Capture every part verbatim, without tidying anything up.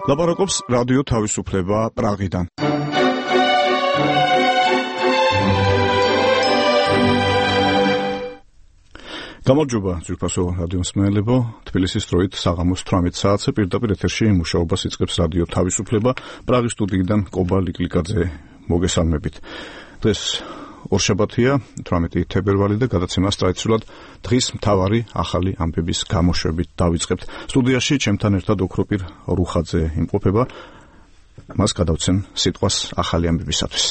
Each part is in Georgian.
ლაპარაკობს რადიო თავისუფლება პრაღიდან. გამარჯობა ძვირფასო რადიო მსმენელებო, თბილისის დროით საღამოს თვრამეტ საათზე პირდაპირ ეთერში მუშაობას იწყებს რადიო თავისუფლება პრაღის სტუდიიდან კობა ლიკლიკაძე მოგესალმებით. დღეს ორშაბათია, თვრამეტი თებერვალი და გადაცემას ტრადიციულად დღის მთავარი ახალი ამბების გამოშვებით დავიწყებთ. სტუდიაში ჩემთან ერთად ოქროპირ რუხაძე იმყოფება. მას გადავცემ სიტყვას ახალი ამბებისათვის.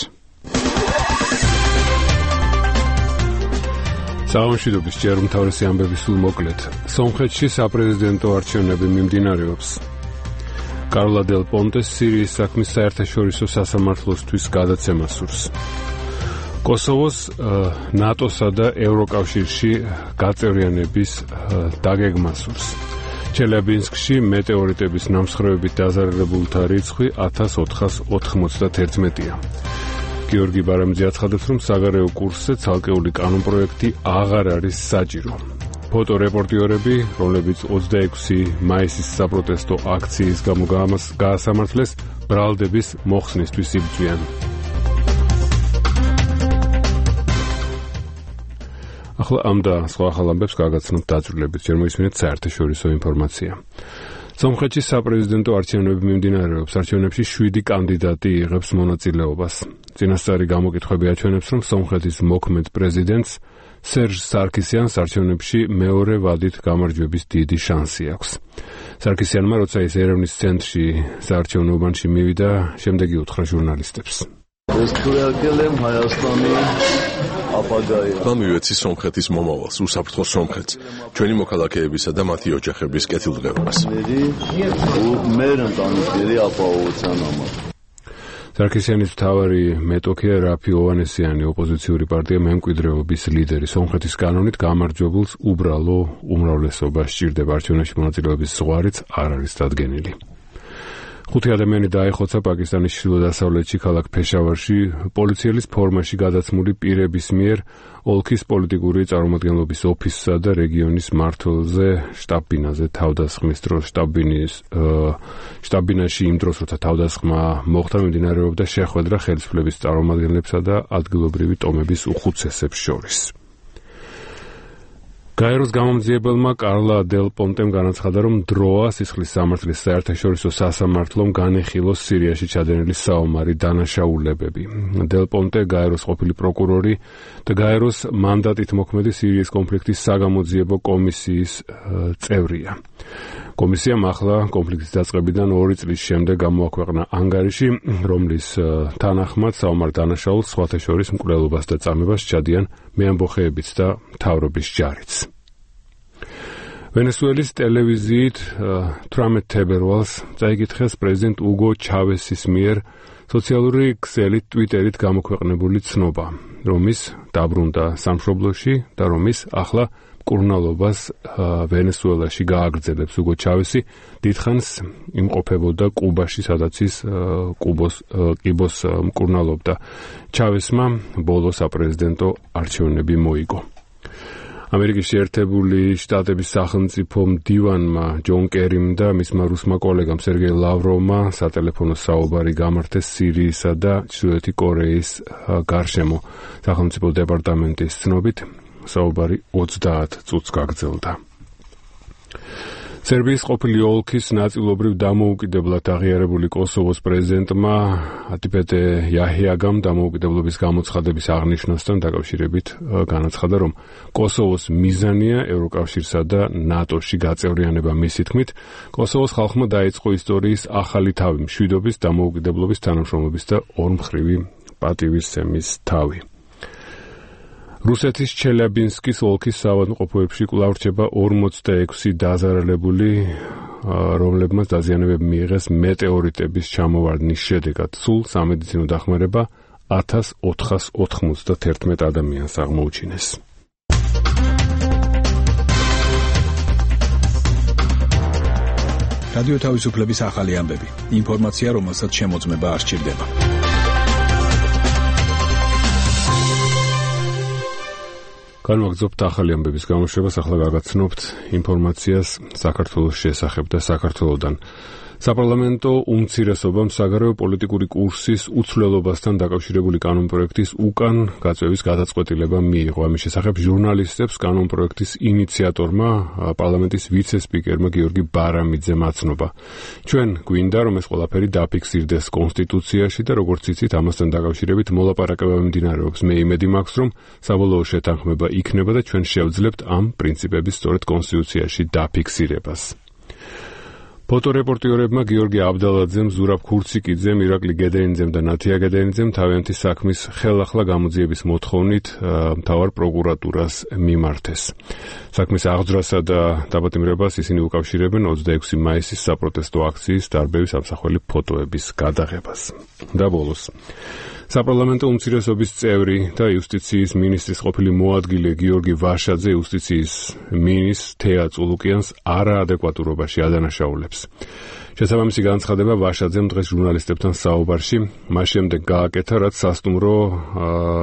საღამოშვიდობის ჯერ უმთავრესი ამბები სულ მოკლედ. სომხეთში საპრეზიდენტო არჩევნები მიმდინარეობს. კარლა დელ პონტეს სირიის საქმის საერთაშორისო სასამართლოსთვის გადაცემა სურს. კოსოვოს ნატოსა და ევროკავშირში გაწევრიანების დაგეგმა სურს. ჩელიაბინსკში მეტეორიტების ნამსხვრევებით დაზარალებულთა რიცხვი ათას ოთხას ოთხმოცდაათია. გიორგი ბარამიძე აცხადებს, რომ საგარეო კურსზე ცალკეული კანონპროექტი აღარ არის საჭირო. ფოტორეპორტიორები, რომლებიც ოცდაექვსი მაისის საპროტესტო აქციის გამო გაასამართლეს, ბრალდების მოხსნისთვის იბრძვიან. ახლა ამ და სხვა ახალ ამბებს გაგაცნობთ დაძრულებით, ჯერ მოისმინეთ საერთაშორისო ინფორმაცია. სომხეთში საპრეზიდენტო არჩევნები მიმდინარეობს. არჩევნებში შვიდი კანდიდატი იღებს მონაწილეობას. წინასწარი გამოკითხვები აჩვენებს, რომ სომხეთის მოქმედ პრეზიდენტს სერჟ სარქისიანს არჩევნებში მეორე ვადით გამარჯვების დიდი შანსი აქვს. სარქისიანმა, როცა ის ერევნის ცენტრში საარჩევნო უბანში მივიდა, შემდეგი უთხრა ჟურნალისტებს. გამივეცი სომხეთის მომავალს, უსაფრთხო სომხეთს, ჩვენი მოქალაქეებისა და მათი ოჯახების კეთილდღეობას. სარქისიანის მთავარი მეტოქეა რაფი ოვანესიანი, ოპოზიციური პარტია მემკვიდრეობის ლიდერი. სომხეთის კანონით გამარჯვებულს უბრალო უმრავლესობა სჭირდება. არჩევნებში მონაწილეობის ზღვარიც არ არის დადგენილი. ხუთი ადამიანი დაეხოცა პაკისტანის ჩრდილო-დასავლეთში ქალაქ ფეშავარში პოლიციელის ფორმაში გადაცმული პირების მიერ ოლქის პოლიტიკური წარმომადგენლობის ოფისსა და რეგიონის მმართველზე შტაბ-ბინაზე თავდასხმის დროს. შტაბ-ბინის შტაბ-ბინაში იმ დროს, როცა თავდასხმა მოხდა, მიმდინარეობდა შეხვედრა ხელისუფლების წარმომადგენლებსა და ადგილობრივი ტომების უხუცესებს შორის. გაეროს გამომძიებელმა კარლა დელ პონტემ განაცხადა, რომ დროა სისხლის სამართლის საერთაშორისო სასამართლომ განეხილოს სირიაში ჩადენილი საომარი დანაშაულებები. დელ პონტე გაეროს ყოფილი პროკურორი და გაეროს მანდატით მოქმედი სირიის კონფლიქტის საგამოძიებო კომისიის წევრია. კომისიამ ახლა კონფლიქტის დაწყებიდან ორი წლის შემდეგ გამოაქვეყნა ანგარიში, რომლის თანახმად საომარ დანაშაულს სხვათა შორის მკვლელობას და წამებას სჩადიან მეამბოხეებიც და მთავრობის ჯარიც. ვენესუელის ტელევიზიით თვრამეტ თებერვალს წაიკითხეს პრეზიდენტ უგო ჩავესის მიერ სოციალური ქსელით ტვიტერით გამოქვეყნებული ცნობა, რომ ის დაბრუნდა სამშობლოში და რომ ის ახლა მკურნალობას ვენესუელაში გააგრძელებს. უგო ჩავესი დიდხანს იმყოფებოდა კუბაში, სადაც ის კუბოს კიბოს მკურნალობდა. ჩავესმა ბოლო საპრეზიდენტო არჩევნები მოიგო. ამერიკის შეერთებული შტატების სახელმწიფო მდივანმა ჯონ კერიმ და მისმა რუსმა კოლეგამ სერგეი ლავროვმა სატელეფონო საუბარი გამართეს სირიისა და ჩრდილოეთი კორეის გარშემო. სახელმწიფო დეპარტამენტის ცნობით საუბარი ოცდაათ წუთს გაგრძელდა. სერბიის ყოფილი ოლქის ნაწილობრივ დამოუკიდებლად აღიარებული კოსოვოს პრეზიდენტმა ატიპეტე იაჰიაგამ დამოუკიდებლობის გამოცხადების აღნიშვნასთან დაკავშირებით განაცხადა, რომ კოსოვოს მიზანია ევროკავშირსა და ნატოში გაწევრიანება. მისი თქმით, კოსოვოს ხალხმა დაიწყო ისტორიის ახალი თავი, მშვიდობის, დამოუკიდებლობის, თანამშრომლობის და ორმხრივი პატივისცემის თავი. რუსეთის ჩელიაბინსკის ოლქის საავადმყოფოებში კვლავ რჩება ორმოცდაექვსი დაზარალებული, რომლებმაც დაზიანებები მიიღეს მეტეორიტების ჩამოვარდნის შედეგად. სულ სამედიცინო დახმარება ათას ოთხას ოთხმოცდაათი ადამიანს აღმოუჩინეს. რადიო თავისუფლების ახალი ამბები. ინფორმაცია, რომელსაც შემოწმება არ სჭირდება. განვაგრძობთ ახალი ამბების გამოშვებას, ახლა გაგაცნობთ ინფორმაციას საქართველოს შესახებ და საქართველოდან. საპარლამენტო უმცირესობამ საგარეო პოლიტიკური კურსის უცვლელობასთან დაკავშირებული კანონპროექტის უკან გაწევის გადაწყვეტილება მიიღო. ამის შესახებ ჟურნალისტებს კანონპროექტის ინიციატორმა, პარლამენტის ვიცე-სპიკერმა გიორგი ბარამიძემ აცნობა. ჩვენ გვინდა, რომ ეს ყველაფერი დაფიქსირდეს კონსტიტუციაში და როგორც იცით, ამასთან დაკავშირებით მოლაპარაკება მიმდინარეობს. მე იმედი მაქვს, რომ საბოლოო შეთანხმება იქნება და ჩვენ შევძლებთ ამ პრინციპების სწორედ კონსტიტუციაში დაფიქსირებას. ფოტორეპორტიორებმა გიორგი აბდალაძემ, ზურაბ ქურციკიძემ, ირაკლი გედენიძემ და ნათია გედენიძემ თავიანთი საქმის ხელახლა გამოძიების მოთხოვნით მთავარ პროკურატურას მიმართეს. საქმის აღძვრასა და დაპატიმრებას ისინი უკავშირებენ ოცდაექვსი მაისის საპროტესტო აქციის დარბევის ამსახველი ფოტოების გადაღებას. და ბოლოს საპარლამენტო უმცირესობის წევრი და იუსტიციის მინისტრის ყოფილი მოადგილე გიორგი ვაშაძე იუსტიციის მინისტრს თეა წულუკიანს არაადეკვატურობაში ადანაშაულებს. შესაბამისი განცხადება ვაშაძემ დღეს ჟურნალისტებთან საუბარში მას შემდეგ გააკეთა, რაც სასტუმრო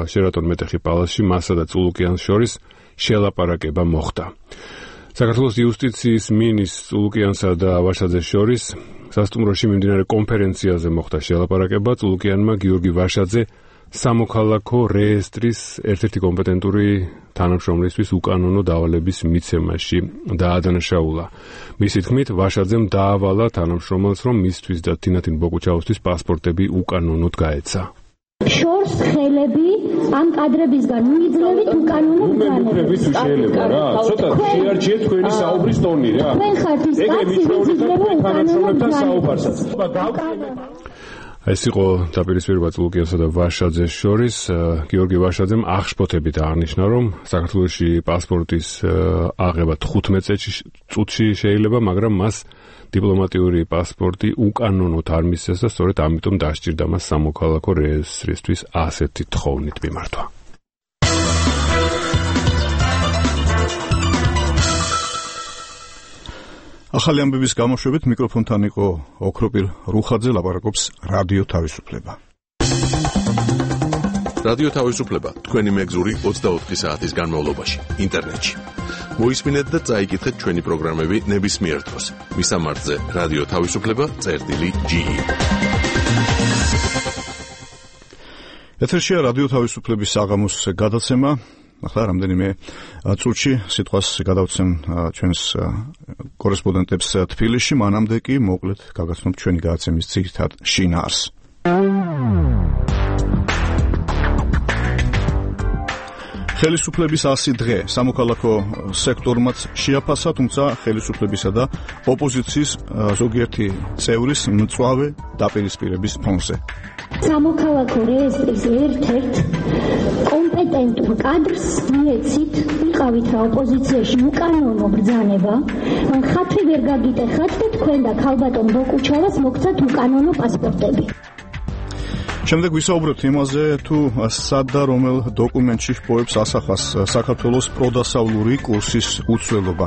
შერატონ მეტეხი პალასში მასა და წულუკიანს შორის შელაპარაკება მოხდა. საქართველოს იუსტიციის მინისტრ წულუკიანსა და ვაშაძეს შორის სასტუმროში მიმდინარე კონფერენციაზე მოხდა შელაპარაკება. წულუკიანმა გიორგი ვაშაძე სამოქალაქო რეესტრის ერთ-ერთი კომპეტენტური თანამშრომლისთვის უკანონო დავალების მიცემაში დაადანაშაულა. მისი თქმით, ვაშაძემ დაავალა თანამშრომელს, რომ მისთვის და თინათინ ბოკუჩაუსთვის პასპორტები უკანონოდ გაეცა. შორს ხელები ამ კადრებისგან მიიძლევით უკანონო ბრძანებას. შეიძლება რა, ცოტა შეარჩიეთ თქვენი საუბრის ტონი რა. თქვენ ხართ ის კაცი, ვინც იძლევა უკანონო საუბარსაც. ეს იყო დაპირისპირება წულუკიანსა და ვაშაძეს შორის. გიორგი ვაშაძემ აღშფოთებით აღნიშნა, რომ საქართველოში პასპორტის აღება თხუთმეტ წუთში შეიძლება, მაგრამ მას დიპლომატიური პასპორტი უკანონოდ არ მისცეს და სწორედ ამიტომ დასჭირდა მას სამოქალაქო რეესტრისთვის ასეთი თხოვნით მიმართვა. ახალი ამბების გამოშვებით მიკროფონთან იყო ოქროპირ რუხაძე, ლაპარაკობს რადიო თავისუფლება. რადიო თავისუფლება თქვენი მეგზური ოცდაოთხი საათის განმავლობაში ინტერნეტში. მოისმინეთ და წაიკითხეთ ჩვენი პროგრამები ნებისმიერ დროს. მისამართზე რადიო თავისუფლება წერტილი ჯი. ეთერშია რადიო თავისუფლების საღამოს გადაცემა. ახლა რამდენიმე წუთში სიტყვას გადავცემ ჩვენს კორესპონდენტებს თბილისში, მანამდე კი მოკლედ გაგაცნობთ ჩვენი გადაცემის ძირითად შინაარსს. ხელისუფლების ასი დღე სამოქალაქო სექტორმაც შეაფასა, თუმცა ხელისუფლებისა და ოპოზიციის ზოგიერთი წევრის მწვავე დაპირისპირების ფონზე. სამოქალაქო რეესტრის ერთ-ერთ კომპეტენტურ კადრს მიეცით, ვიყავით რა ოპოზიციაში უკანონო ბრძანება, რომ ხათვი ვერ გაგიტეხათ და თქვენ და ქალბატონ ბოკუჩავას მოგცათ უკანონო პასპორტები. შემდეგ ვისაუბრებთ იმაზე, თუ სად და რომელ დოკუმენტში ჰპოვებს ასახავს საქართველოს პროდასავლური კურსის უცვლელობა.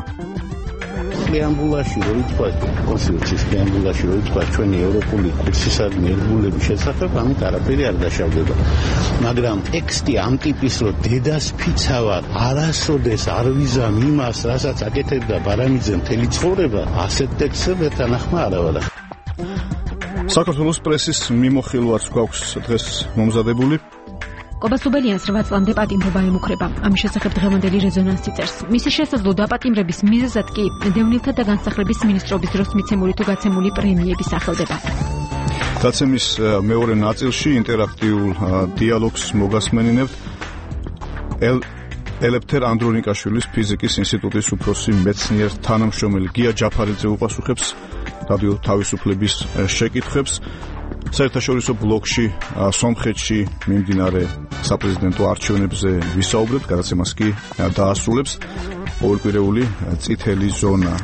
преамბულაში რო ითქვა კონსტიტუციის преამბულაში რო ითქვა ჩვენი ევროპული კურსისადმი ერთგულების შესახებ, ამით არაფერი არ დაშავდება. მაგრამ ტექსტი ამ ტიპის რო დედას ფიცავად არასოდეს არ ვიზამ იმას, რასაც აკეთებდა ბარამიძე მთელი ცხოვრება, ასეთ ტექსტს ერთანახმა არ ავალა. საქართველოს პრესის მიმოხილვაც გვაქვს დღეს მომზადებული. კობასუბელიანს რვა წლამდე პატიმრობა ემუქრება. ამის შესახებ დღევანდელი რეზონანსი წერს. მისი შესაძლო დაპატიმრების მიზეზად კი დევნილთა და განსახლების მინისტრობის დროს მიცემული თუ გაცემული პრემიები სახელდება. დაცემის მეორე ნაწილში ინტერაქტიულ დიალოგს მოგასმენინებთ ელეფთერ ანდრონიკაშვილის ფიზიკის ინსტიტუტის უფროსი მეცნიერ თანამშრომელი გია ჯაფარიძე უპასუხებს რადიო თავისუფლების შეკითხვებს. საერთაშორისო ბლოკში სომხეთში მიმდინარე საპრეზიდენტო არჩევნებზე ვისაუბრებთ, გადაცემას კი დაასრულებს ორკვირეული წითელი ზონა.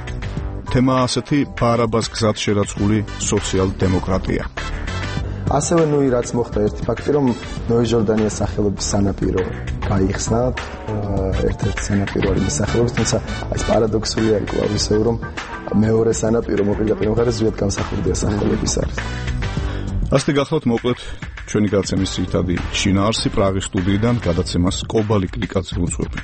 თემა ასეთი ბარაბას გზად შერაცხული სოციალ-დემოკრატია. ასევე ნუ რაც მოხდა ერთი ფაქტი, რომ ნოე ჟორდანიას სახელობის სანაპირო გაიხსნა, ერთ-ერთი სანაპირო არის მის სახელობის, თუმცა ეს პარადოქსული არის კვლავ ისევ, რომ მეორე სანაპირო მოპირდაპირ მხარეს ზუსტად განსახურდია სახელობის არის. ასეთი გახლავთ მოკლედ ჩვენი გადაცემის ძირითადი შინაარსი პრაღის სტუდიიდან გადაცემას კობალი კლიკაძე უძღვებენ.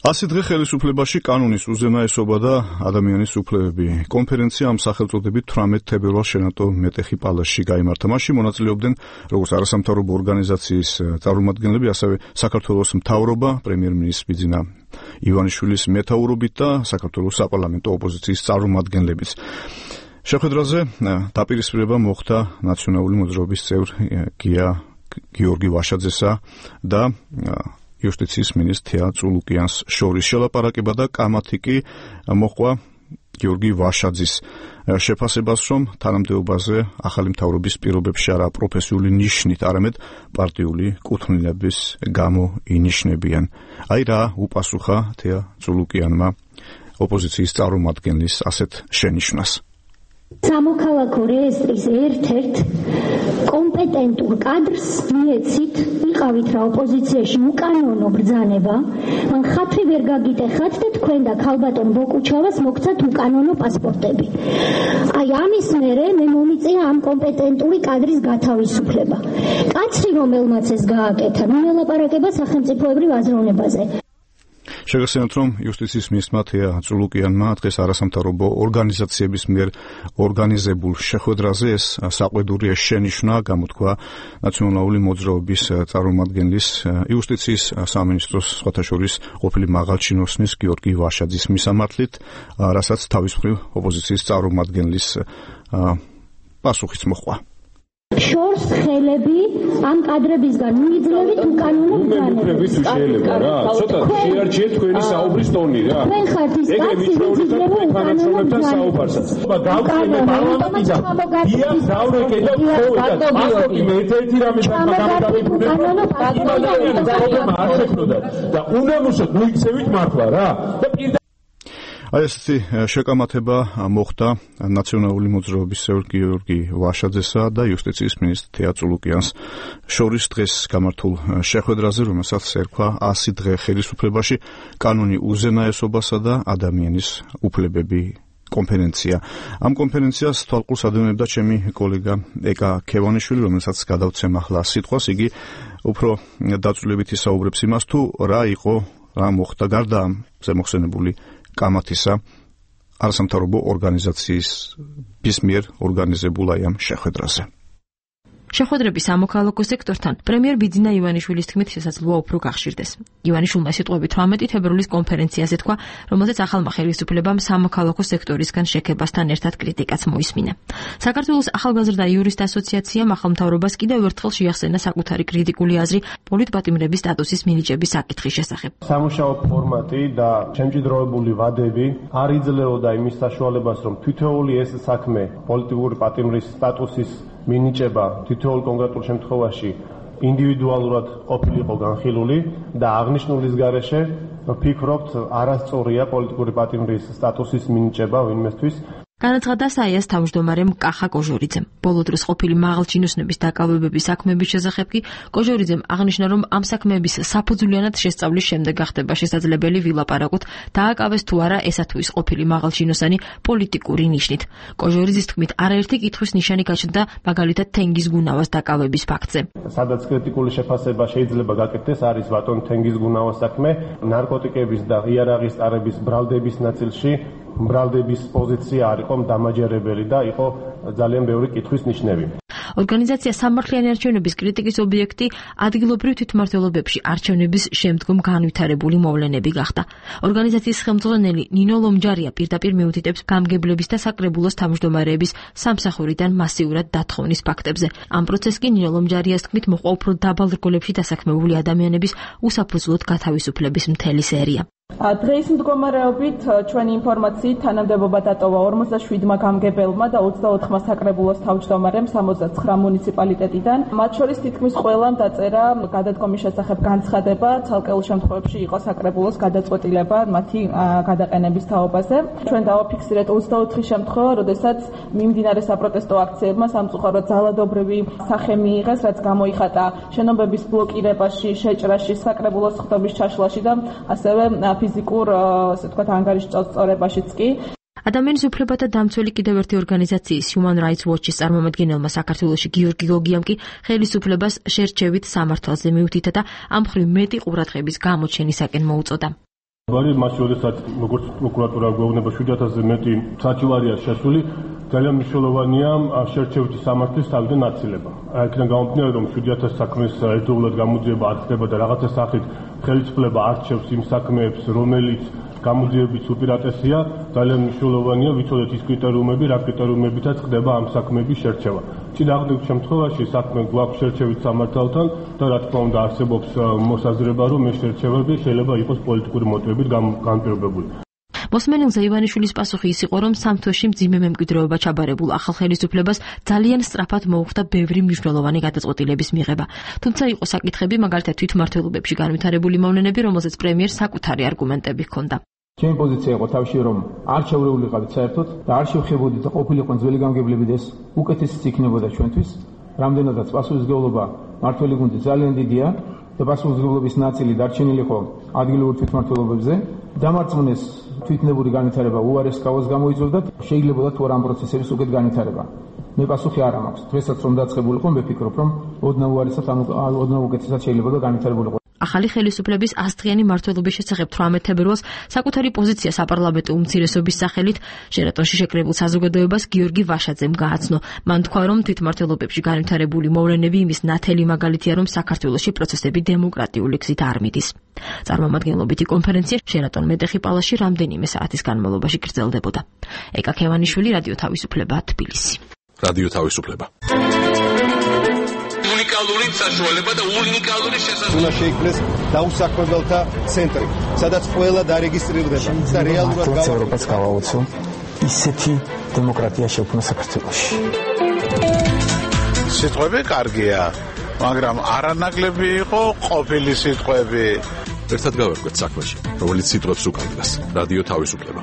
ასი დღე ხელისუფლებაში კანონის უზენაესობა და ადამიანის უფლებები. კონფერენცია ამ სახელწოდებით თვრამეტ თებერვალს შენატო მეტეხი პალატში გაიმართა. მასში მონაწილეობდნენ როგორც არასამთავრობო ორგანიზაციის წარმომადგენლები, ასევე საქართველოს მთავრობა, პრემიერ-მინისტრი ბიძინა ივანიშვილის მეთაურობით და საქართველოს საპარლამენტო ოპოზიციის წარმომადგენლებიც. შეხვედრაზე დაპირისპირება მოხდა ნაციონალური მოძრაობის წევრ გია გიორგი ვაშაძესა და იუსტიციის მინისტრ თეა წულუკიანს შორის. შელაპარაკება და კამათი კი მოჰყვა გიორგი ვაშაძის შეფასებას, რომ თანამდებობაზე ახალი მთავრობის პირობებში არა პროფესიული ნიშნით, არამედ პარტიული კუთვნილების გამო ინიშნებიან. აი რა უპასუხა თეა წულუკიანმა ოპოზიციის წარმომადგენლის ასეთ შენიშვნას. სამოქალაქო რეესტრის ერთ-ერთ კომპეტენტურ კადრს მიეცით, ვიყავით რა ოპოზიციაში უკანონო ბრძანება, მან ხათრი ვერ გაგიტეხათ და თქვენ და ქალბატონ ბოკუჩავას მოგცათ უკანონო პასპორტები. აი ამის მერე მე მომიწია ამ კომპეტენტური კადრის გათავისუფლება. კაცრი რომელმაც ეს გააკეთა, მილაპარაკება სახელმწიფოებრივ აზროვნებაზე. შეგახსენებთ, რომ იუსტიციის მინისტრმა თეა წულუკიანმა დღეს არასამთავრობო ორგანიზაციების მიერ ორგანიზებულ შეხვედრაზე ეს საყვედური შენიშვნა გამოთქვა ნაციონალური მოძრაობის წარმომადგენლის იუსტიციის სამინისტროს სხვათა შორის ყოფილი მაღალჩინოსნის გიორგი ვაშაძის მისამართლით, რასაც თავის მხრივ ოპოზიციის წარმომადგენლის პასუხიც მოჰყვა. შორს ხელები ამ კადრებისგან მიიძლევით უკანონო ბრძანებას. შეიძლება რა, ცოტა შეარჩიეთ თქვენი საუბრის ტონი რა. თქვენ ხართ ის კაცი, ვინც იძლევა უკანონო ბრძანებას. გავხსენე პარლამენტიდან. დიახ, დავრეკე და ხო, პასპორტი მე ერთ-ერთი რამე გამოგაბებუნა. და უნემოსოდ მოიქცევით მართლა რა. და პირდა აი ესეთი შეკამათება მოხდა ნაციონალური მოძრაობის წევრ გიორგი ვაშაძესა და იუსტიციის მინისტრ თეა წულუკიანს შორის დღეს გამართულ შეხვედრაზე, რომელსაც ერქვა ასი დღე ხელისუფლებაში კანონი უზენაესობასა და ადამიანის უფლებები კონფერენცია. ამ კონფერენციას თვალყურს ადევნებდა ჩემი კოლეგა ეკა ქევანიშვილი, რომელსაც გადავცემ ახლა სიტყვას. იგი უფრო დაწვრილებით ისაუბრებს იმას, თუ რა იყო, რა მოხდა გარდა ამ ზემოხსენებული კამათისა არასამთავრობო ორგანიზაციის ბისმიერ ორგანიზებულ აი ამ შეხვედრაზე. შეხვედრების სამოქალაქო სექტორთან პრემიერ ბიძინა ივანიშვილის თქმით შესაძლოა უფრო გახშირდეს. ივანიშვილმა სიტყვები თვრამეტი თებერვლის კონფერენციაზე თქვა, რომელზეც ახალმა ხელისუფლებამ სამოქალაქო სექტორისგან შექებასთან ერთად კრიტიკაც მოისმინა. საქართველოს ახალგაზრდა იურისტ ასოციაციამ ახალ მთავრობას კიდევ ერთხელ შეახსენა საკუთარი კრიტიკული აზრი პოლიტპატიმრების სტატუსის მინიჭების საკითხის შესახებ. სამუშაო ფორმატი და შემჭიდროებული ვადები არ იძლეოდა იმის საშუალებას, რომ თითოეული ეს საქმე პოლიტიკური პატიმრის სტატუსის მინიჭება თითოეულ კონკრეტულ შემთხვევაში ინდივიდუალურად ყოფილიყო განხილული და აღნიშნულის გარეშე ვფიქრობთ არასწორია პოლიტიკური პატიმრის სტატუსის მინიჭება ვინმესთვის. განაცხადა საიას თავმჯდომარემ კახა კოჟორიძემ. ბოლო დროს ყოფილი მაღალჩინოსნების დაკავებების საქმეების შესახებ კი კოჟორიძემ აღნიშნა, რომ ამ საქმეების საფუძვლიანად შესწავლის შემდეგ გახდება შესაძლებელი ვილაპარაკოთ, დააკავეს თუ არა ესა თუ ის ყოფილი მაღალჩინოსანი პოლიტიკური ნიშნით. კოჟორიძის თქმით, არაერთი კითხვის ნიშანი გაჩნდა, მაგალითად თენგიზ გუნავას დაკავების ფაქტზე. სადაც კრიტიკული შეფასება შეიძლება გაკეთდეს, არის ბატონ თენგიზ გუნავას საქმე, ნარკოტიკების და იარაღის ტარების ბრალდების ნაწილში ბრალდების პოზიცია არ იყო დამაჯერებელი და იყო ძალიან ბევრი კითხვის ნიშნები. ორგანიზაცია სამართლიანი არჩევნების კრიტიკის ობიექტი ადგილობრივ თვითმმართველობებში არჩევნების შემდგომ განვითარებული მოვლენები გახდა. ორგანიზაციის ხელმძღვანელი ნინო ლომჯარია პირდაპირ მიუთითებს გამგებლების და საკრებულოს თავმჯდომარეების სამსახურიდან მასიურად დათხოვნის ფაქტებზე. ამ პროცესს კი ნინო ლომჯარიას თქმით მოჰყვა უფრო დაბალ რგოლებში დასაქმებული ადამიანების უსაფუძვლოდ გათავისუფლების მთელი სერია. დღეის მდგომარეობით ჩვენი ინფორმაციით თანამდებობა დატოვა ორმოცდაშვიდმა გამგებელმა და ოცდაოთხმა საკრებულოს თავმჯდომარემ სამოცდაცხრა მუნიციპალიტეტიდან. მათ შორის თითქმის ყველამ დაწერა გადადგომის შესახებ განცხადება, ცალკეულ შემთხვევებში იყო საკრებულოს გადაწყვეტილება მათი გადაყენების თაობაზე. ჩვენ დავაფიქსირეთ ოცდაოთხი შემთხვევა, როდესაც მიმდინარე საპროტესტო აქციებმა სამწუხაროდ ძალადობრივი სახე მიიღეს, რაც გამოიხატა შენობების ბლოკირებაში, შეჭრაში, საკრებულოს ხდობის ჩაშლაში და ასევე ფიზიკურ, ასე ვთქვათ, ანგარიშ წორებაშიც კი. ადამიანის უფლებათა დამცველი კიდევ ერთი ორგანიზაციის Human Rights Watch-ის წარმომადგენელმა საქართველოში გიორგი გოგიამ კი ხელისუფლებას შერჩევით სამართალზე მიუთითა და ამ მხრივ მეტი ყურადღების გამოჩენისაკენ მოუწოდა. ვარი მას შესაძ როგორც პროკურატურა გვეუბნება შვიდ ათასზე მეტი საჩივარია შესული ძალიან მნიშვნელოვანია შერჩევითი სამართლის თავიდან აცილება. აქედან გამომდინარე რომ შვიდ ათას საქმის ერთდროულად გამოძიება არ ხდება და რაღაცა სახით ხელისუფლება არჩევს იმ საქმეებს, რომელიც გამოძიების უპირატესია, ძალიან მნიშვნელოვანია ვიცოდეთ ის კრიტერიუმები, რა კრიტერიუმებითაც ხდება ამ საქმეების შერჩევა. წინააღმდეგ შემთხვევაში საქმე გვაქვს შერჩევით სამართალთან და რა თქმა უნდა არსებობს მოსაზრება, რომ ეს შერჩევები შეიძლება იყოს პოლიტიკური მოტივებით განპირობებული. მოსმენელზე ივანიშვილის პასუხი ის იყო, რომ სამ თვეში მძიმე მემკვიდრეობა ჩაბარებულ ახალ ხელისუფლებას ძალიან სწრაფად მოუხდა ბევრი მნიშვნელოვანი გადაწყვეტილების მიღება. თუმცა იყო საკითხები, მაგალითად თვითმმართველობებში განვითარებული მოვლენები, რომელზეც პრემიერს საკუთარი არგუმენტები ჰქონდა. ჩემი პოზიცია იყო თავში, რომ არ შეურეულიყავით საერთოდ და არ შევხებოდით და ყოფილიყო ძველი გამგებლები და ეს უკეთესიც იქნებოდა ჩვენთვის. რამდენადაც პასუხისმგებლობა მართველი გუნდი ძალიან დიდია და პასუხისმგებლობის ნაწილი დარჩენილი იყო ადგილობრივ თვითმმართველობებზე. დამარწმუნეს თვითნებური განვითარება უარეს კავას გამოიწვევდა, შეიძლებოდა თუ არა ამ პროცესების უკეთ განვითარება. მე პასუხი არ მაქვს. დღესაც რომ დაწყებულიყო, მე ვფიქრობ, რომ ოდნავ უარესად ან ოდნავ უკეთესად შეიძლებოდა განვითარებულიყო. ახალი ხელისუფლების ასწლიანი მმართველობის შესახებ თვრამეტ თებერვალს საკუთარი პოზიცია საპარლამენტო უმცირესობის სახელით ჟერატონში შეკრებულ საზოგადოებას გიორგი ვაშაძემ გააცნო. მან თქვა, რომ თვითმმართველობებში განვითარებული მოვლენები იმის ნათელი მაგალითია, რომ საქართველოში პროცესები დემოკრატიული გზით არ მიდის. წარმომადგენლობითი კონფერენცია ჟერატონ მეტეხი პალაში რამდენიმე საათის განმავლობაში გრძელდებოდა. ეკა ქევანიშვილი, რადიო თავისუფლება, თბილისი. რადიო თავისუფლება. უნიკალური საშუალება და უნიკალური შესაძლებლობა. უნდა შეიქმნეს დაუსაქმებელთა ცენტრი, სადაც ყველა დარეგისტრირდება და რეალურად ევროპას გავაოცო ისეთი დემოკრატია შექმნა საქართველოში. სიტყვები კარგია, მაგრამ არანაკლები იყო ყოფილი სიტყვები. ერთად გავერკვეთ საქმეში, რომელიც სიტყვებს უკავშირდება. რადიო თავისუფლება.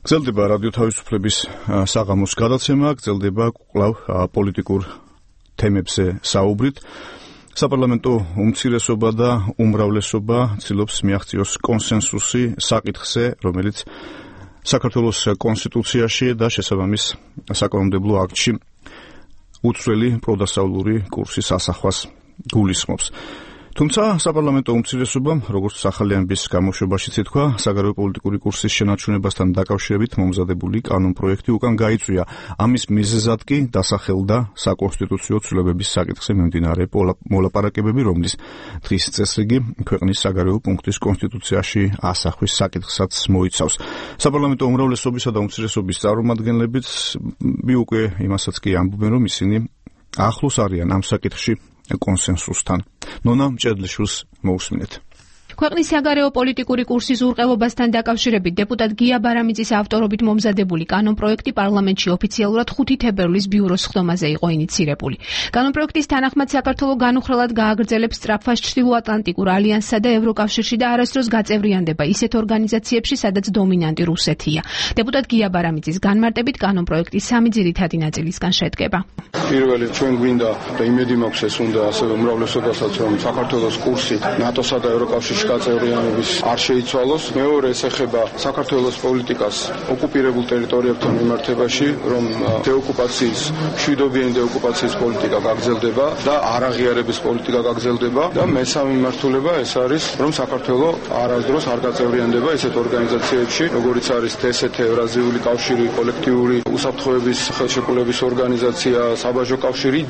გრძელდება რადიო თავისუფლების საღამოს გადაცემა, გრძელდება კვლავ პოლიტიკურ თემებზე საუბრით. საპარლამენტო უმცირესობა და უმრავლესობა ცდილობს მიაღწიოს კონსენსუსი საკითხზე, რომელიც საქართველოს კონსტიტუციაში და შესაბამის საკანონმდებლო აქტში უცვლელი პროდასავლური კურსის ასახვას გულისხმობს. თუმცა საპარლამენტო უმცირესობამ, როგორც ახალი ამბის გამოშვებაშიც ითქვა, საგარეო პოლიტიკური კურსის შენარჩუნებასთან დაკავშირებით მომზადებული კანონპროექტი უკან გაიწვია. ამის მიზეზად კი დასახელდა საკონსტიტუციო ცვლილებების საკითხზე მიმდინარე მოლაპარაკებები, რომლის დღის წესრიგი ქვეყნის საგარეო პუნქტის კონსტიტუციაში ასახვის საკითხსაც მოიცავს. საპარლამენტო უმრავლესობისა და უმცირესობის წარმომადგენლებიც უკვე იმასაც კი ამბობენ, რომ ისინი ახლოს არიან ამ საკითხში კონსენსუსთან. ნონა მჭედლიშვილს მოусმინეთ. ქვეყნის საგარეო პოლიტიკური კურსის ურყევობასთან დაკავშირებით დეპუტატ გია ბარამიძის ავტორობით მომზადებული კანონპროექტი პარლამენტში ოფიციალურად ხუთი თებერვლის ბიუროს ხდომაზე იყო ინიცირებული. კანონპროექტის თანახმად საქართველო განუხრელად გააგრძელებს სწრაფას ჩრდილოატლანტიკურ ალიანსსა და ევროკავშირში და არასდროს გაწევრიანდება ისეთ ორგანიზაციებში, სადაც დომინანტი რუსეთია. დეპუტატ გია ბარამიძის განმარტებით კანონპროექტი სამი ძირითადი ნაწილისგან შედგება. პირველი ჩვენ გვინდა და იმედი მაქვს ეს უნდა ასევე უმრავლესობასაც რომ საქართველოს კურსი ნატოსა და ევროკავშირში გაწევრიანების არ შეიცვალოს. მეორე ეს ეხება საქართველოს პოლიტიკას ოკუპირებულ ტერიტორიებთან მიმართებაში, რომ დეოკუპაციის, მშვიდობიანი დეოკუპაციის პოლიტიკა გაგრძელდება და არაღიარების პოლიტიკა გაგრძელდება და მესამე მიმართულება ეს არის, რომ საქართველო არასდროს არ გაწევრიანდება ისეთ ორგანიზაციებში, როგორიც არის დსთ, ევრაზიული კავშირი, კოლექტიური უსაფრთხოების ხელშეკრულების ორგანიზაცია, საბაჟო კავშირი.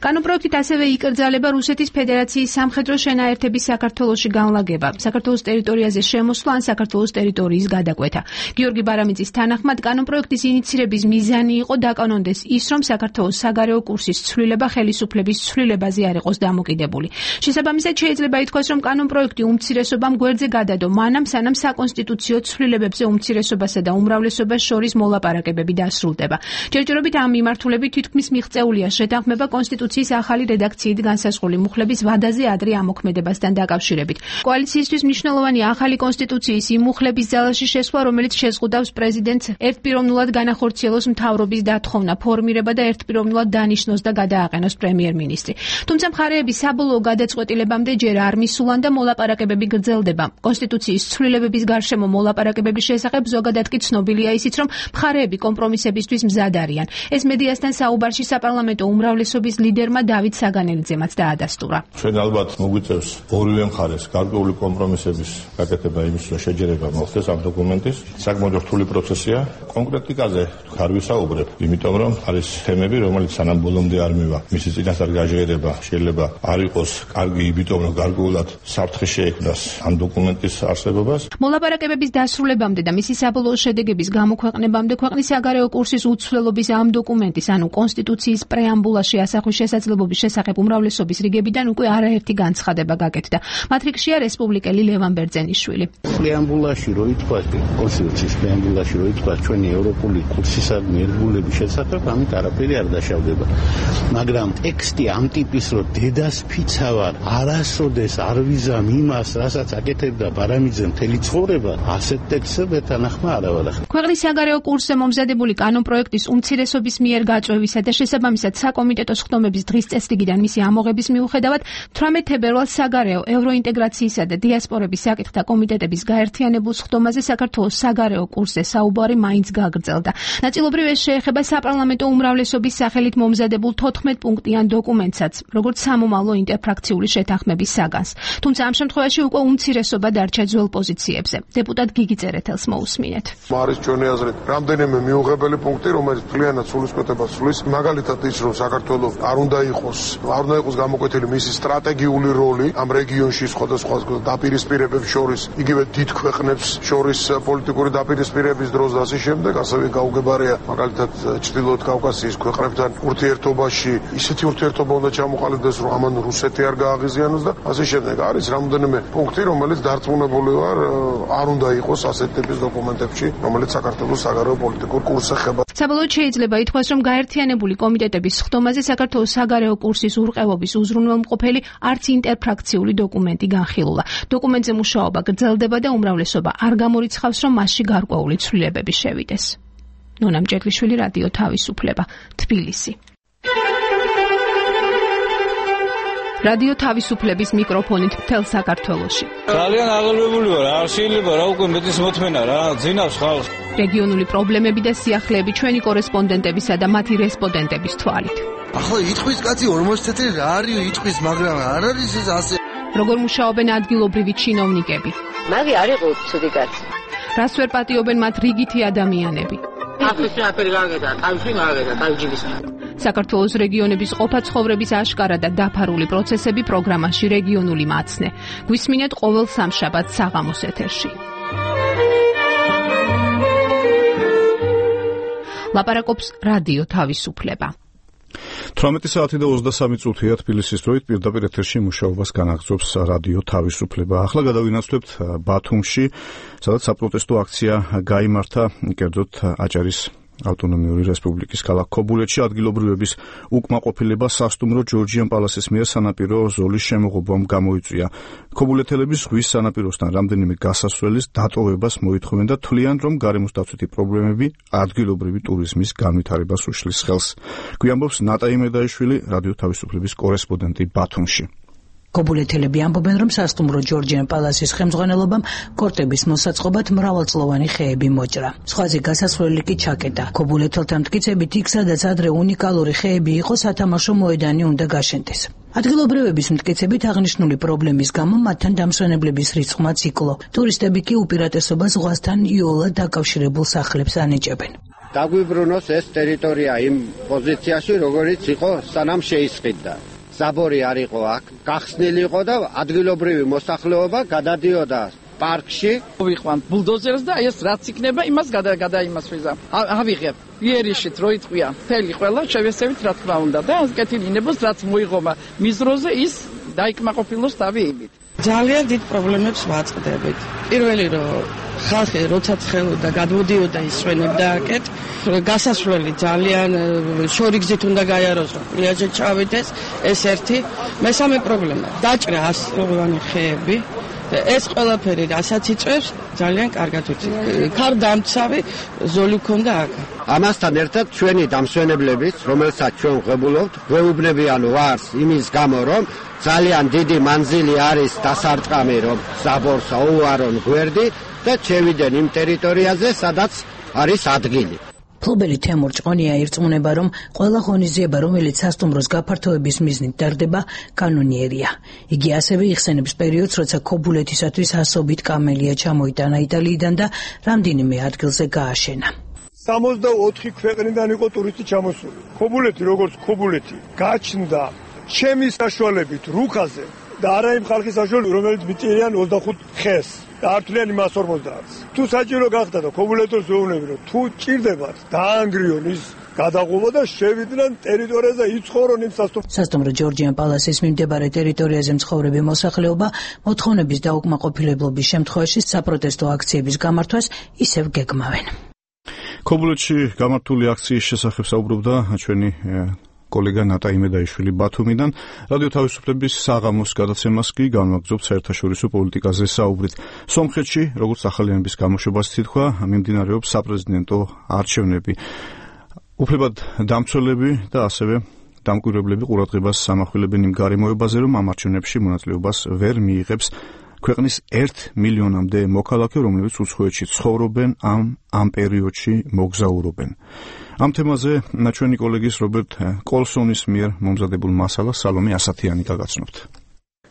კანონპროექტით ასევე იკრძალება რუსეთის ფედერაციის სამხედრო შენაერთების საქართველოში განლაგება, საქართველოს ტერიტორიაზე შემოსვლა ან საქართველოს ტერიტორიის გადაკვეთა. გიორგი ბარამიძის თანახმად კანონპროექტის ინიცირების მიზანი იყო დაკანონდეს ის, რომ საქართველოს საგარეო კურსის ცვლილება ხელისუფლების ცვლილებაზე არ იყოს დამოკიდებული. შესაბამისად შეიძლება ითქვას, რომ კანონპროექტი უმცირესობამ გვერდზე გადადო, მანამ სანამ საკონსტიტუციო ცვლილებებზე უმცირესობასა და უმრავლესობას შორის მოლაპარაკებები დასრულდება. ჯერჯერობით ამ მიმართულებით თითქმის მიღწეულია შეთანხმება კონსტიტუციის ახალი რედაქციით განსაზღვრული მუხლების ვადაზე ადრე ამოქმედებასთან დაკავშირებით. კოალიციისთვის მნიშვნელოვანი ახალი კონსტიტუციის იმ მუხლების ძალაში შესვლა, რომელიც შეზღუდავს პრეზიდენტს ერთპიროვნულად განახორციელოს მთავრობის დათხოვნა, ფორმირება და ერთპიროვნულად დანიშნოს და გადააყენოს პრემიერ-მინისტრი. თუმცა მხარეების საბოლოო გადაწყვეტილებამდე ჯერ არ მისულან და მოლაპარაკებები გრძელდება. კონსტიტუციის ცვლილებების გარშემო მოლაპარაკებების შესახებ ზოგადად კი ცნობილია ისიც, რომ მხარეები კომპრომისებისთვის მზად არიან. ეს მედიასთან საუბარში საპარლამენტო უმრავლესობის ლიდერმა დავით საგანელიძემაც დაადასტურა. ჩვენ ალბათ მოგვიწევს ორივე მხარეს გარკვეული კომპრომისების გაკეთება იმის შეჯერება მოხდეს ამ დოკუმენტის. საკმაოდ რთული პროცესია. კონკრეტიკაზე არ ვისაუბრებ, იმიტომ რომ არის თემები, რომელიც სანამ ბოლომდე არ მივა. მისი წინასწარ გაჟღერება შეიძლება არ იყოს კარგი, იმიტომ რომ გარკვეულად საფრთხე შეექმნას ამ დოკუმენტის არსებობას. მოლაპარაკებების დასრულებამდე და მისი საბოლოო შედეგების გამოქვეყნებამდე ქვეყნის საგარეო კურსის უცვლელობის ამ დოკუმენტის, ანუ კონსტიტუციის პრეამბულაში ასახვის შესაძლებლობის შესახებ უმრავლესობის რიგებიდან უკვე არაერთი განცხადება გაკეთდა. მათ რიგშია რესპუბლიკელი ლევან ბერძენიშვილი. პრეამბულაში რო ითქვას, კონსტიტუციის პრეამბულაში რო ითქვას ჩვენი ევროპული კურსისა ნერვულების შესახებ, ამით არაფერი არ დაშავდება. მაგრამ ტექსტი ამ ტიპის რო დედას ფიცავარ, არასოდეს არ ვიზამ იმას, რასაც აკეთებდა ბარამიძე მთელი ცხოვრება, ასეთ ტექსტებს თანახმა არ ავარახებ. ქვეყნის საგარეო კურსზე მომზადებული კანონპროექტის უმცირესობის მიერ გაწვევისა და შესაბამისად საკომიტეტო სხდომების დღის წესრიგიდან მისი ამოღების მიუხედავად თვრამეტ თებერვალს საგარეო ევროინტეგრაციისა და დიასპორების საკითხთა კომიტეტების გაერთიანებულ სხდომაზე საქართველოს საგარეო კურსზე საუბარი მაინც გაგრძელდა. ნაწილობრივ ეს შეეხება საპარლამენტო უმრავლესობის სახელით მომზადებულ თოთხმეტ პუნქტიან დოკუმენტსაც, როგორც სამომავლო ინტერფრაქციული შეთანხმების საგანს. თუმცა ამ შემთხვევაში უკვე უმცირესობა დარჩა ძველ პოზიციებზე. დეპუტატ გიგი წერეთელს მოусმინეთ. არის ჩვენი აზრით რამდენიმე მიუღებელი პუნქტი, რომელიც ძალიანაც სულისკვეთებას სulis, მაგალითად ის, რომ საქართველოს არ უნდა იყოს, არ უნდა იყოს გამოკვეთილი მისი სტრატეგიული როლი ამ რეგიონში სხვადასხვა დაპირისპირებებს შორის, იგივე დიდ ქვეყნებს შორის პოლიტიკური დაპირისპირების დროს და ასე შემდეგ, ასევე გაუგებარია მაგალითად ჩრდილოეთ კავკასიის ქვეყნებთან ურთიერთობაში, ისეთი ურთიერთობა უნდა ჩამოყალიბდეს, რომ ამან რუსეთი არ გააღიზიანოს და ასე შემდეგ. არის რამდენიმე პუნქტი, რომელიც დარწმუნებული ვარ, არ უნდა იყოს ასეთ ტიპის დოკუმენტებში, რომელიც საქართველოს საგარეო პოლიტიკურ კურსს ეხება. საბოლოოდ შეიძლება ითქვას, რომ გაერთიანებული კომიტეტების სხდომაზე საქართველოს საგარეო კურსის ურყევობის უზრუნველმყოფელი არც ინტერფრაქციული დოკუმენტი განხილულა. დოკუმენტზე მუშაობა გრძელდება და უმრავლესობა არ გამორიცხავს, რომ მასში გარკვეული ცვლილებები შევიდეს. ნონა მჭედლიშვილი, რადიო თავისუფლება, თბილისი. რადიო თავისუფლების მიკროფონით მთელ საქართველოში. ძალიან აღელვებული ვარ, არ შეიძლება რა უკვე მეტის მოთმენა რა, ძინავს ხალხს. რეგიონული პრობლემები და სიახლეები ჩვენი კორესპონდენტებისა და მათი რესპონდენტების თვალით. ახლა იტყვის კაცი ორმოცი წელი რა არის იტყვის, მაგრამ არ არის ეს ასე. როგორ მუშაობენ ადგილობრივი ჩინოვნიკები? მაგი არ იყო ცუდი კაცი. რას ვერ პატიობენ მათ რიგითი ადამიანები? ახლა შეაფერი გაგედა, თავში გაგედა, თავჯიბის. საქართველოს რეგიონების ყოფა-ცხოვრების აშკარა და დაფარული პროცესები პროგრამაში რეგიონული მაცნე. გვისმინეთ ყოველ სამშაბათს საღამოს ეთერში. ლაპარაკობს რადიო თავისუფლება. თვრამეტი საათი და ოცდასამი წუთია თბილისის დროით პირდაპირ ეთერში მუშაობას განაგრძობს რადიო თავისუფლება. ახლა გადავინაცვლებთ ბათუმში, სადაც საპროტესტო აქცია გაიმართა კერძოდ აჭარის ავტონომიური რესპუბლიკის ქალაქ ქობულეთში ადგილობრივების უკმაყოფილება სასტუმრო ჯორჯიან პალასის მიერ სანაპირო ზოლის შემოღობამ გამოიწვია. ქობულეთელები ზღვის სანაპიროსთან რამდენიმე გასასვლელის დატოვებას მოითხოვენ და თვლიან, რომ გარემოს დაცვითი პრობლემები ადგილობრივი ტურიზმის განვითარებას უშლის ხელს. გვიამბობს ნატაი მედაიშვილი, რადიო თავისუფლების კორესპონდენტი ბათუმში. ქობულეთელები ამბობენ, რომ სასტუმრო ჯორჯიან პალასის ხელმძღვანელობამ კორტების მოსაწყობად მრავალწლოვანი ხეები მოჭრა. სხვაზე გასასვლელი კი ჩაკეტა. ქობულეთელთა მტკიცებით, იქ სადაც ადრე უნიკალური ხეები იყო, სათამაშო მოედანი უნდა გაშენდეს. ადგილობრივების მტკიცებით აღნიშნული პრობლემის გამო მათთან დამსვენებლების რიცხვმაც იკლო. ტურისტები კი უპირატესობას ზღვასთან იოლად დაკავშირებულ სახლებს ანიჭებენ. დაგვიბრუნოს ეს ტერიტორია იმ პოზიციაში, როგორიც იყო სანამ შეისყიდდა. საბორი არ იყო აქ, გახსნილი იყო და ადგილობრივი მოსახლეობა გადადიოდა პარკში. ვიყვანთ ბულდოზერს და ეს რაც იქნება, იმას გადაიმასვიზა. ავიღებ იერიშით რო იტყვია, მთელი ყველა შევესევით რა თქმა უნდა და ეს კეთილინებას რაც მოიღომა მიზროზე ის დაიკმაყოფილოს თავი იმით. ძალიან დიდ პრობლემებს ვაწყდებით. პირველი რომ ხალხი როცა ცხელოდა, გადმოდიოდა ისვენებდა აკეთ, გასასვლელი ძალიან შორიგზით უნდა გაიაროს, რომ პლიაჟზე ჩავიდეს, ეს ერთი. მესამე პრობლემა, დაჭრა ასწლოვანი ხეები. ეს ყველაფერი რასაც იწვევს, ძალიან კარგად ვიცი. ქარდამცავი ზოლი ქონდა აქ. ამასთან ერთად ჩვენი დამსვენებლების, რომელსაც ჩვენ ვღებულობთ, გვეუბნებიან ვარს იმის გამო, რომ ძალიან დიდი მანძილი არის დასარტყამი, რომ საბორს აუარონ გვერდი და ჩევიდენ იმ ტერიტორიაზე, სადაც არის ადგილი. ფლობელი თემურ ჭყონია ირწმუნება, რომ ყველა ღონისძიება, რომელიც სასტუმროს გაფართოების მიზნით ტარდება, კანონიერია. იგი ასევე იხსენებს პერიოდს, როცა ქობულეთისათვის ასობით კამელია ჩამოიტანა იტალიიდან და რამდენიმე ადგილზე გააშენა. სამოცდაოთხი ქვეყნიდან იყო ტურისტი ჩამოსული. ქობულეთი როგორც ქობულეთი გაჩნდა ჩემი საშუალებით რუხაზე და არა იმ ხალხის საშუალებით, რომელიც მიწირიან ოცდახუთ ხეს და ართულიანი მას ორმოცდაათს. თუ საჭირო გახდა და ქობულეთოს ვეუბნები, რომ თუ ჭირდებათ დაანგრიონ ის გადაღობა და შევიდნენ ტერიტორიაზე იცხოვრონ იმ სასტუმრო. სასტუმრო ჯორჯიან პალასის მიმდებარე ტერიტორიაზე მცხოვრები მოსახლეობა მოთხოვნების დაუკმაყოფილებლობის შემთხვევაში საპროტესტო აქციების გამართვას ისევ გეგმავენ. ქობულეთში გამართული აქციის შესახებ საუბრობდა ჩვენი კოლეგა ნატა იმედაიშვილი ბათუმიდან. რადიო თავისუფლების საღამოს გადაცემას კი განვაგრძობთ საერთაშორისო პოლიტიკაზე საუბრით. სომხეთში, როგორც ახალიანების გამოშვებას თითქვა, მიმდინარეობს საპრეზიდენტო არჩევნები. უფლებად დამცველები და ასევე დამკვირვებლები ყურადღებას ამახვილებენ იმ გარემოებაზე, რომ ამ არჩევნებში მონაწილეობას ვერ მიიღებს ქვეყნის ერთ მილიონამდე მოქალაქე, რომლებიც უცხოეთში ცხოვრობენ, ამ ამ პერიოდში მოგზაურობენ. ამ თემაზე ჩვენი კოლეგის რობერტ კოლსონის მიერ მომზადებულ მასალას სალომე ასათიანი გაგაცნობთ.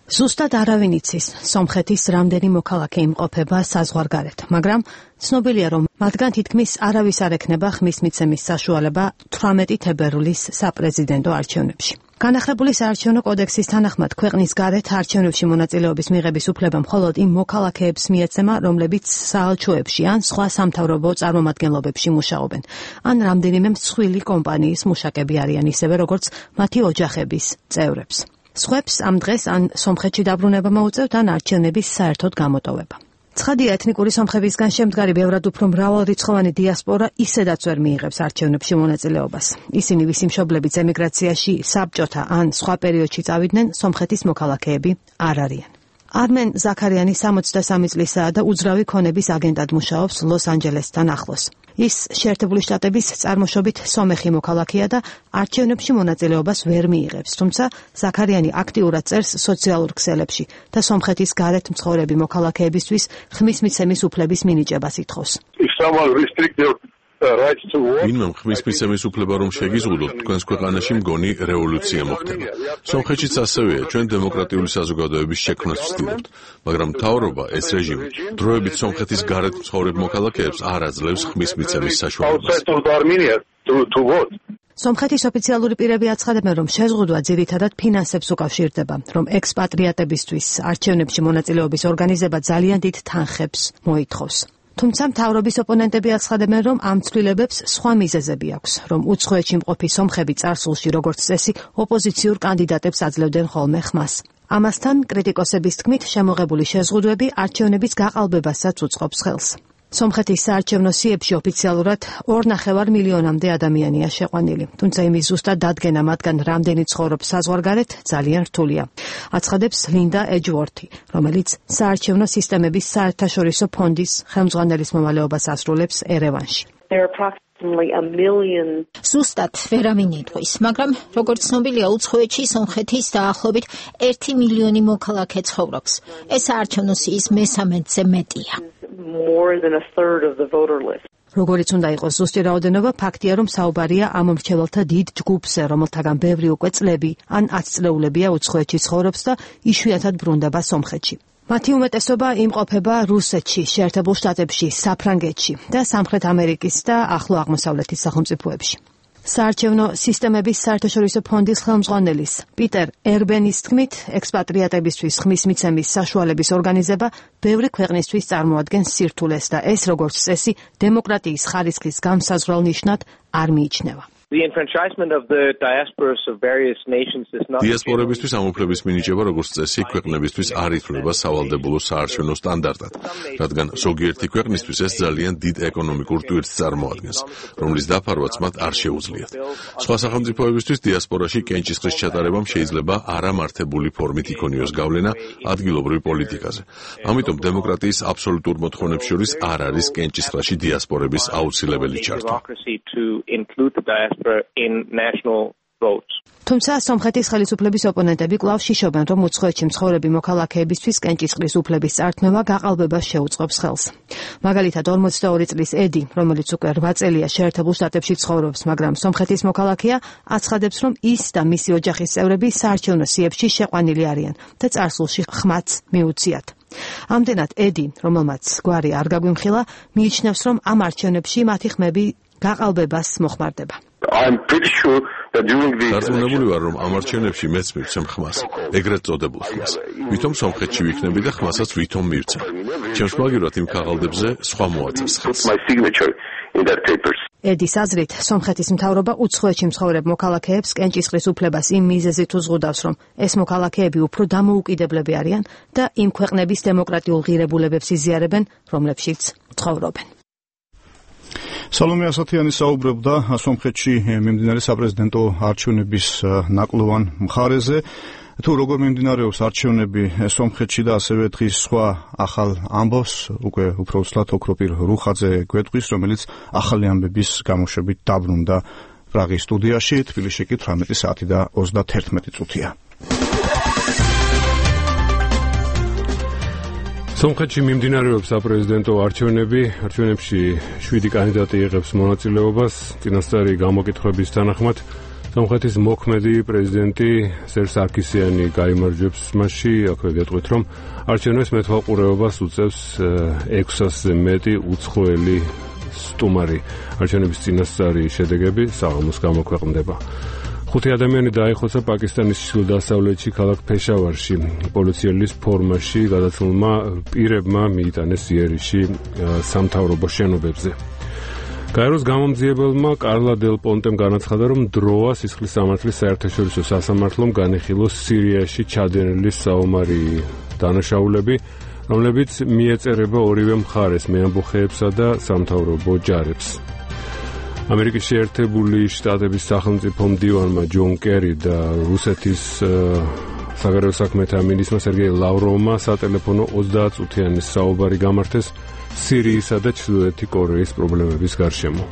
ზუსტად არავინ იცის, სომხეთის რამდენი მოქალაქე იმყოფება საზღვარგარეთ, მაგრამ ცნობილია, რომ მათგან თითქმის არავის არ ექნება ხმის მიცემის საშუალება თვრამეტი თებერვლის საპრეზიდენტო არჩევნებში. განახლებული საარჩევნო კოდექსის თანახმად ქვეყნის გარეთ არჩევნებში მონაწილეობის მიღების უფლება მხოლოდ იმ მოქალაქეებს მიეცემა, რომლებიც საელჩოებში ან სხვა სამთავრობო წარმომადგენლობებში მუშაობენ, ან რამდენიმე მსხვილი კომპანიის მუშაკები არიან, ისევე როგორც მათი ოჯახების წევრებს. სხვებს ამ დღეს ან სომხეთში დაბრუნება მოუწევთ, ან არჩევნების საერთოდ გამოტოვება. ცხადია, ეთნიკური სომხებისგან შემდგარი ბევრად უფრო მრავალრიცხოვანი დიასპორა ისედაც ვერ მიიღებს არჩევნებში მონაწილეობას. ისინი ვისი მშობლებიც ემიგრაციაში, საბჭოთა ან სხვა პერიოდში წავიდნენ, სომხეთის მოქალაქეები არ არიან. არმენ ზაქარიანი სამოცდასამი წლისაა და უძრავი ქონების აგენტად მუშაობს ლოს-ანჯელესთან ახლოს. ის შეერთებული შტატების წარმოშობით სომეხი მოქალაქეა და არჩევნებში მონაწილეობას ვერ მიიღებს, თუმცა ზაქარიანი აქტიურად წერს სოციალურ ქსელებში და სომხეთის გარეთ მცხოვრები მოქალაქეებისთვის ხმის მიცემის უფლების მინიჭებას ითხოვს. ვინმე ხმის მიცემის უფლება რომ შეგიზღუდოთ, თქვენს ქვეყანაში მგონი რევოლუცია მოხდება. სომხეთშიც ასევეა, ჩვენ დემოკრატიული საზოგადოების შექმნას ვცდილობთ, მაგრამ მთავრობა ეს რეჟიმი დროებით სომხეთის გარეთ მცხოვრებ მოქალაქეებს არ აძლევს ხმის მიცემის საშუალებას. სომხეთის ოფიციალური პირები აცხადებენ, რომ შეზღუდვა ძირითადად ფინანსებს უკავშირდება, რომ ექსპატრიატებისთვის არჩევნებში მონაწილეობის ორგანიზება ძალიან დიდ თანხებს მოითხოვს. თუმცა მთავრობის ოპონენტები აცხადებენ, რომ ამ ცვლილებებს სხვა მიზეზები აქვს, რომ უცხოეთში მყოფი სომხები წარსულში როგორც წესი ოპოზიციურ კანდიდატებს აძლევდნენ ხოლმე ხმას. ამასთან კრიტიკოსების თქმით, შემოღებული შეზღუდვები არჩევნების გაყალბებასაც უწყობს ხელს. სომხეთის საარჩევნო სიებში ოფიციალურად ორ ნახევარ მილიონამდე ადამიანია შეყვანილი, თუმცა იმის ზუსტად დადგენა მათგან რამდენი ცხოვრობს საზღვარგარეთ ძალიან რთულია. აცხადებს ლინდა ეჯვორთი, რომელიც საარჩევნო სისტემების საერთაშორისო ფონდის ხელმძღვანელის მომალეობას ასრულებს ერევანში. ზუსტად ვერავინ იტყვის, მაგრამ როგორც ცნობილია, უცხოეთში სომხეთის დაახლოებით ერთი მილიონი მოქალაქე ცხოვრობს. ეს საარჩევნო სიის მესამედზე მეტია. როგორიც უნდა იყოს ზუსტი რაოდენობა, ფაქტია, რომ საუბარია ამ მრჩეველთა დიდ ჯგუფზე, რომელთაგან ბევრი უკვე წლები ან ათწლეულებია უცხოეთში ცხოვრობს და იშვიათად ბრუნდება სომხეთში. მათი უმეტესობა იმყოფება რუსეთში, შეერთებულ შტატებში, საფრანგეთში და სამხრეთ ამერიკის და ახლო აღმოსავლეთის სახელმწიფოებში. საარჩევნო სისტემების საერთაშორისო ფონდის ხელმძღვანელის პიტერ ერბენის თქმით, ექსპატრიატებისთვის ხმის მიცემის საშუალების ორგანიზება ბევრი ქვეყნისთვის წარმოადგენს სირთულეს და ეს როგორც წესი დემოკრატიის ხარისხის გამსაზღვრელ ნიშნად არ მიიჩნევა. დიასპორებისთვის ამ უფლების მინიჭება როგორც წესი ქვეყნებისთვის არ ითვლება სავალდებულო საარჩევნო სტანდარტად, რადგან ზოგიერთი ქვეყნისთვის ეს ძალიან დიდ ეკონომიკურ ტვირთს წარმოადგენს, რომლის დაფარვაც მათ არ შეუძლიათ. სხვა სახელმწიფოებისთვის დიასპორაში კენჭისყრის ჩატარებამ შეიძლება არამართებული ფორმით იქონიოს გავლენა ადგილობრივ პოლიტიკაზე. ამიტომ დემოკრატიის აბსოლუტურ მოთხოვნებს შორის არ არის კენჭისყრაში დიასპორების აუცილებელი ჩართვა. in national votes. თუმცა სომხეთის ხელისუფლების ოპონენტები კვლავ შიშობენ, რომ უცხოეთში მცხოვრები მოქალაქეებისთვის კენჭისყრის უფლების წართმევა გაყალბებას შეუწყობს ხელს. მაგალითად, ორმოცდაორი წლის ედი, რომელიც უკვე რვა წელია შეერთებულ შტატებში ცხოვრობს, მაგრამ სომხეთის მოქალაქეა, აცხადებს, რომ ის და მისი ოჯახის წევრები საარჩევნო სიებში შეყვანილი არიან და წარსულში ხმაც მიუციათ. ამდენად ედი, რომელმაც გვარი არ გაგვიმხილა, მიიჩნევს, რომ ამ არჩევნებში მათი ხმები გაყალბებას მოხმარდება. I'm pretty sure that during the დარწმუნებული ვარ, რომ ამ არჩევნებში მეც მივცემ ხმას, ეგრეთ წოდებულ ხმას. ვითომ სომხეთში ვიქნები და ხმასაც ვითომ მივცემ. ჩემს მაგივრად იმ ქაღალდებზე სხვა მოაწერს ხელს. ედის აზრით, სომხეთის მთავრობა უცხოეთში მცხოვრებ მოქალაქეებს კენჭისყრის უფლებას იმ მიზეზით უზღუდავს, რომ ეს მოქალაქეები უფრო დამოუკიდებლები არიან და იმ ქვეყნების დემოკრატიულ ღირებულებებს იზიარებენ, რომლებშიც ცხოვრობენ. სალომე ასათიანი საუბრობდა სომხეთში მიმდინარე საპრეზიდენტო არჩევნების ნაკლოვან მხარეზე. თუ როგორ მიმდინარეობს არჩევნები სომხეთში და ასევე დღის სხვა ახალ ამბავს უკვე უფრო უცლად ოქროპირ რუხაძე გვეტყვის, რომელიც ახალი ამბების გამოშვებით დაბრუნდა პრაღის სტუდიაში. თბილისში კი თვრამეტი საათი და ოცდაერთი წუთია. სომხეთში მიმდინარეობს საპრეზიდენტო არჩევნები. არჩევნებში შვიდი კანდიდატი იღებს მონაწილეობას. წინასწარი გამოკითხვების თანახმად სომხეთის მოქმედი პრეზიდენტი სერჟ სარქისიანი გაიმარჯვებს მასში. აქვე გეტყვით, რომ არჩევნებს მეთვალყურეობას უწევს ექვსასზე მეტი უცხოელი სტუმარი. არჩევნების წინასწარი შედეგები საღამოს გამოქვეყნდება. ხუთი ადამიანი დაიხოცა პაკისტანის ჩრდილო-დასავლეთში ქალაქ ფეშავარში. პოლიციელის ფორმაში გადაცვლილმა პირებმა მიიტანეს იერიში სამთავრობო შენობებზე. გაეროს გამომძიებელმა კარლა დელ პონტემ განაცხადა, რომ დროა სისხლის სამართლის საერთაშორისო სასამართლომ განიხილოს სირიაში ჩადენილი საომარი დანაშაულები, რომლებიც მიეწერება ორივე მხარეს, მეამბოხეებსა და სამთავრობო ჯარებს. ამერიკის შეერთებული შტატების სახელმწიფო მდივანმა ჯონ კერი და რუსეთის საგარეო საქმეთა მინისტრმა სერგეი ლავროვმა სატელეფონო ოცდაათწუთიანი საუბარი გამართეს სირიისა და ჩრდილოეთი კორეის პრობლემების გარშემო.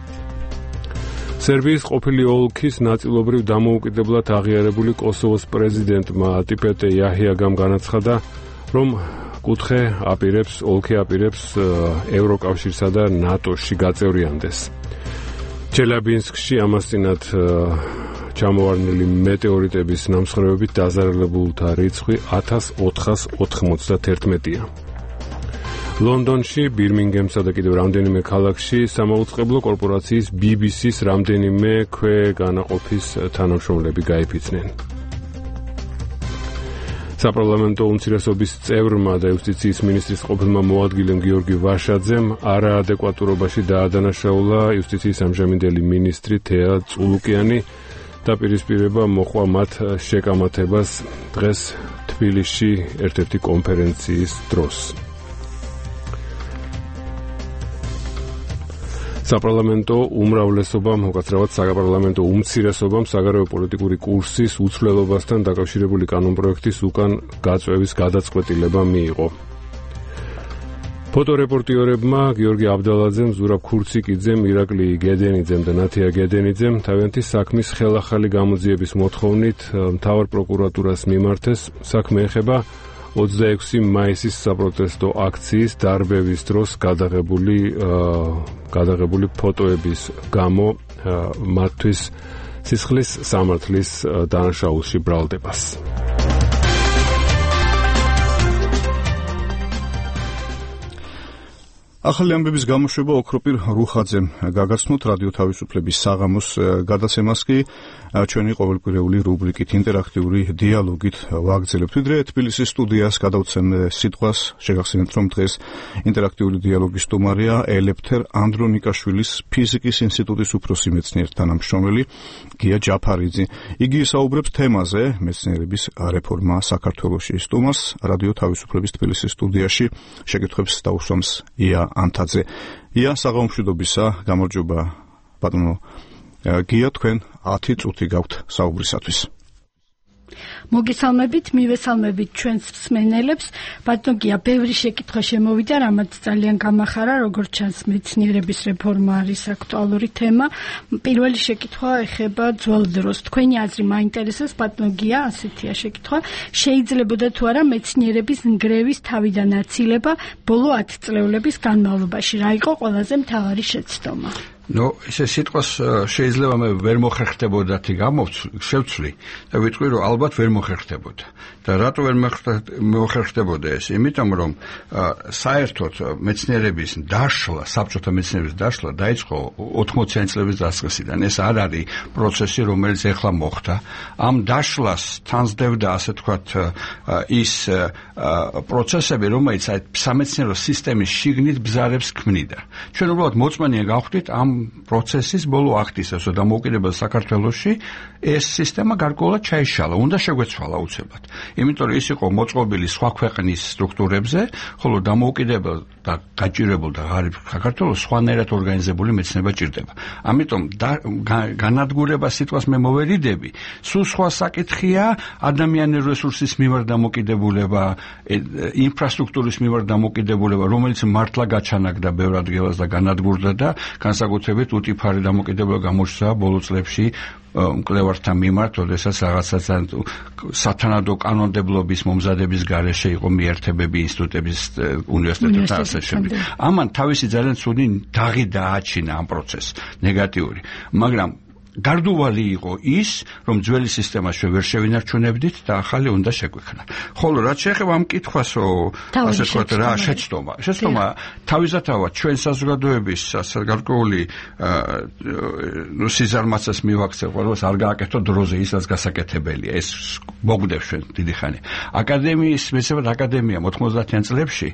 სერბიის ყოფილი ოლქის ნაწილობრივ დამოუკიდებლად აღიარებული კოსოვოს პრეზიდენტმა ატიპეტე იაჰიაგამ განაცხადა, რომ კუთხე აპირებს, ოლქი აპირებს ევროკავშირსა და ნატოში გაწევრიანდეს. ჩელაბინსკში ამასწინად ჩამოვარდნილი მეტეორიტების ნამსხვრევებით დაზარალებულთა რიცხვი ათას ოთხმოცდაათია. ლონდონში, ბირმინგემსა და კიდევ რამდენიმე ქალაქში სამაუწყებლო კორპორაციის ბი ბი სის რამდენიმე ქვეგანაყოფის თანამშრომლები გაიფიცნენ. საპარლამენტო უმცირესობის წევრმა და იუსტიციის მინისტრის ყოფილმა მოადგილემ გიორგი ვაშაძემ არაადეკვატურობაში დაადანაშაულა იუსტიციის ამჟამინდელი მინისტრი თეა წულუკიანი და პირისპირება მოყვა მათ შეკამათებას დღეს თბილისში ერთ-ერთი კონფერენციის დროს. საპარლამენტო უმრავლესობამ, უკაცრავად საპარლამენტო უმცირესობამ საგარეო პოლიტიკური კურსის უცვლელობასთან დაკავშირებული კანონპროექტის უკან გაწვევის გადაწყვეტილება მიიღო. ფოტორეპორტიორებმა გიორგი აბდალაძემ, ზურაბ ქურციკიძემ, ირაკლი გედენიძემ და ნათია გედენიძემ თავიანთი საქმის ხელახალი გამოძიების მოთხოვნით მთავარ პროკურატურას მიმართეს. საქმე ეხება ოცდაექვსი მაისის საპროტესტო აქციის დარბევის დროს გადაღებული გადაღებული ფოტოების გამო მათთვის სისხლის სამართლის დანაშაულში ბრალდებას. ახალი ამბების გამოშვება ოქროპირ რუხაძემ გაგაცნოთ რადიო თავისუფლების საღამოს გადაცემას კი ჩვენი ყოველკვირეული რუბრიკით ინტერაქტიული დიალოგით ვაგრძელებთ. ვიდრე თბილისის სტუდიას გადავცემ სიტყვას, შეგახსენებთ, რომ დღეს ინტერაქტიული დიალოგის სტუმარია ელეფთერ ანდრონიკაშვილის ფიზიკის ინსტიტუტის უფროსი მეცნიერ თანამშრომელი გია ჯაფარიძე. იგი საუბრებს თემაზე მეცნიერების რეფორმა საქართველოში. სტუმარს რადიო თავისუფლების თბილისის სტუდიაში შეკითხვებს დაუსვამს ია ანთაძე. ია, საღამომშვიდობისა, გამარჯობა ბატონო გია, თქვენ ათი წუთი გაქვთ საუბრისათვის. მოგესალმებით, მივესალმებით ჩვენს მსმენელებს. ბატონო გია, ბევრი შეკითხვა შემოვიდა, რამაც ძალიან გამახარა, როგორც ჩანს, მეცნიერების რეფორმა არის აქტუალური თემა. პირველი შეკითხვა ეხება ძველ დროს. თქვენი აზრი მაინტერესებს, ბატონო გია, ასეთია შეკითხვა. შეიძლებოდა თუ არა მეცნიერების ნგრევის თავიდან აცილება ბოლო ათწლეულების განმავლობაში? რა იყო ყველაზე მთავარი შეცდომა? ნუ ესე სიტყვას შეიძლება მე ვერ მოხერხდებოდათი გამოვცვლი და ვიტყვი რომ ალბათ ვერ მოხერხდებოდა და რატო ვერ მოხერხდებოდა ეს? იმიტომ რომ საერთოდ მეცნიერების დაშლა, საბჭოთა მეცნიერების დაშლა დაიწყო ოთხმოციანი წლების დასაწყისიდან. ეს არ არის პროცესი, რომელიც ეხლა მოხდა. ამ დაშლას თანსდევდა, ასე თქვათ, ის პროცესები, რომელიც აი სამეცნიერო სისტემის შიგნით ბზარებს ქმნიდა. ჩვენ უბრალოდ მოწმენია გავხდით ამ პროცესის ბოლო აქტისას და დამოუკიდებელ საქართველოში ეს სისტემა გარკვეულად ჩაიშალა, უნდა შეგვეცვალა უცებად. იმიტომ რომ ის იყო მოწყობილი სხვა ქვეყნის სტრუქტურებზე, ხოლო დამოუკიდებელ და გაჭირებულ და ღარიბ საქართველოს სხვანაირად ორგანიზებული მეცნიერება ჭირდება. ამიტომ განადგურება სიტყვას მე მოვერიდები. სულ სხვა საკითხია ადამიანური რესურსის მიმართ დამოკიდებულება, ინფრასტრუქტურის მიმართ დამოკიდებულება, რომელიც მართლა გაჩანაგდა ბევრ ადგილას და განადგურდა და განსაკუთრებით უტიფარი დამოკიდებულება გამოჩნდა ბოლო წლებში მკვლევართა მიმართ, როდესაც რაღაცა სათანადო კანონმდებლობის მომზადების გარეშე იყო მიერთებები, ინსტიტუტების, უნივერსიტეტების და ასე შემდეგ. ამან თავისი ძალიან ცუდი დაღი დააჩინა ამ პროცესს, ნეგატიური. მაგრამ გარდუვალი იყო ის, რომ ძველი სისტემა ჩვენ ვერ შევინარჩუნებდით და ახალი უნდა შეგვექმნა. ხოლო რაც შეეხება ამ კითხვას, ასე ვთქვათ, რა შეცდომა. შეცდომა თავისთავად ჩვენ საზოგადოების ასე გარკვეული ნუ სიზარმაცას მივაქცევ, ყველას არ გააკეთო დროზე ის, რაც გასაკეთებელია. ეს მოგდებს ჩვენ დიდი ხანი. აკადემიის, მეცნიერებათა აკადემიამ ოთხმოცდაათიან წლებში,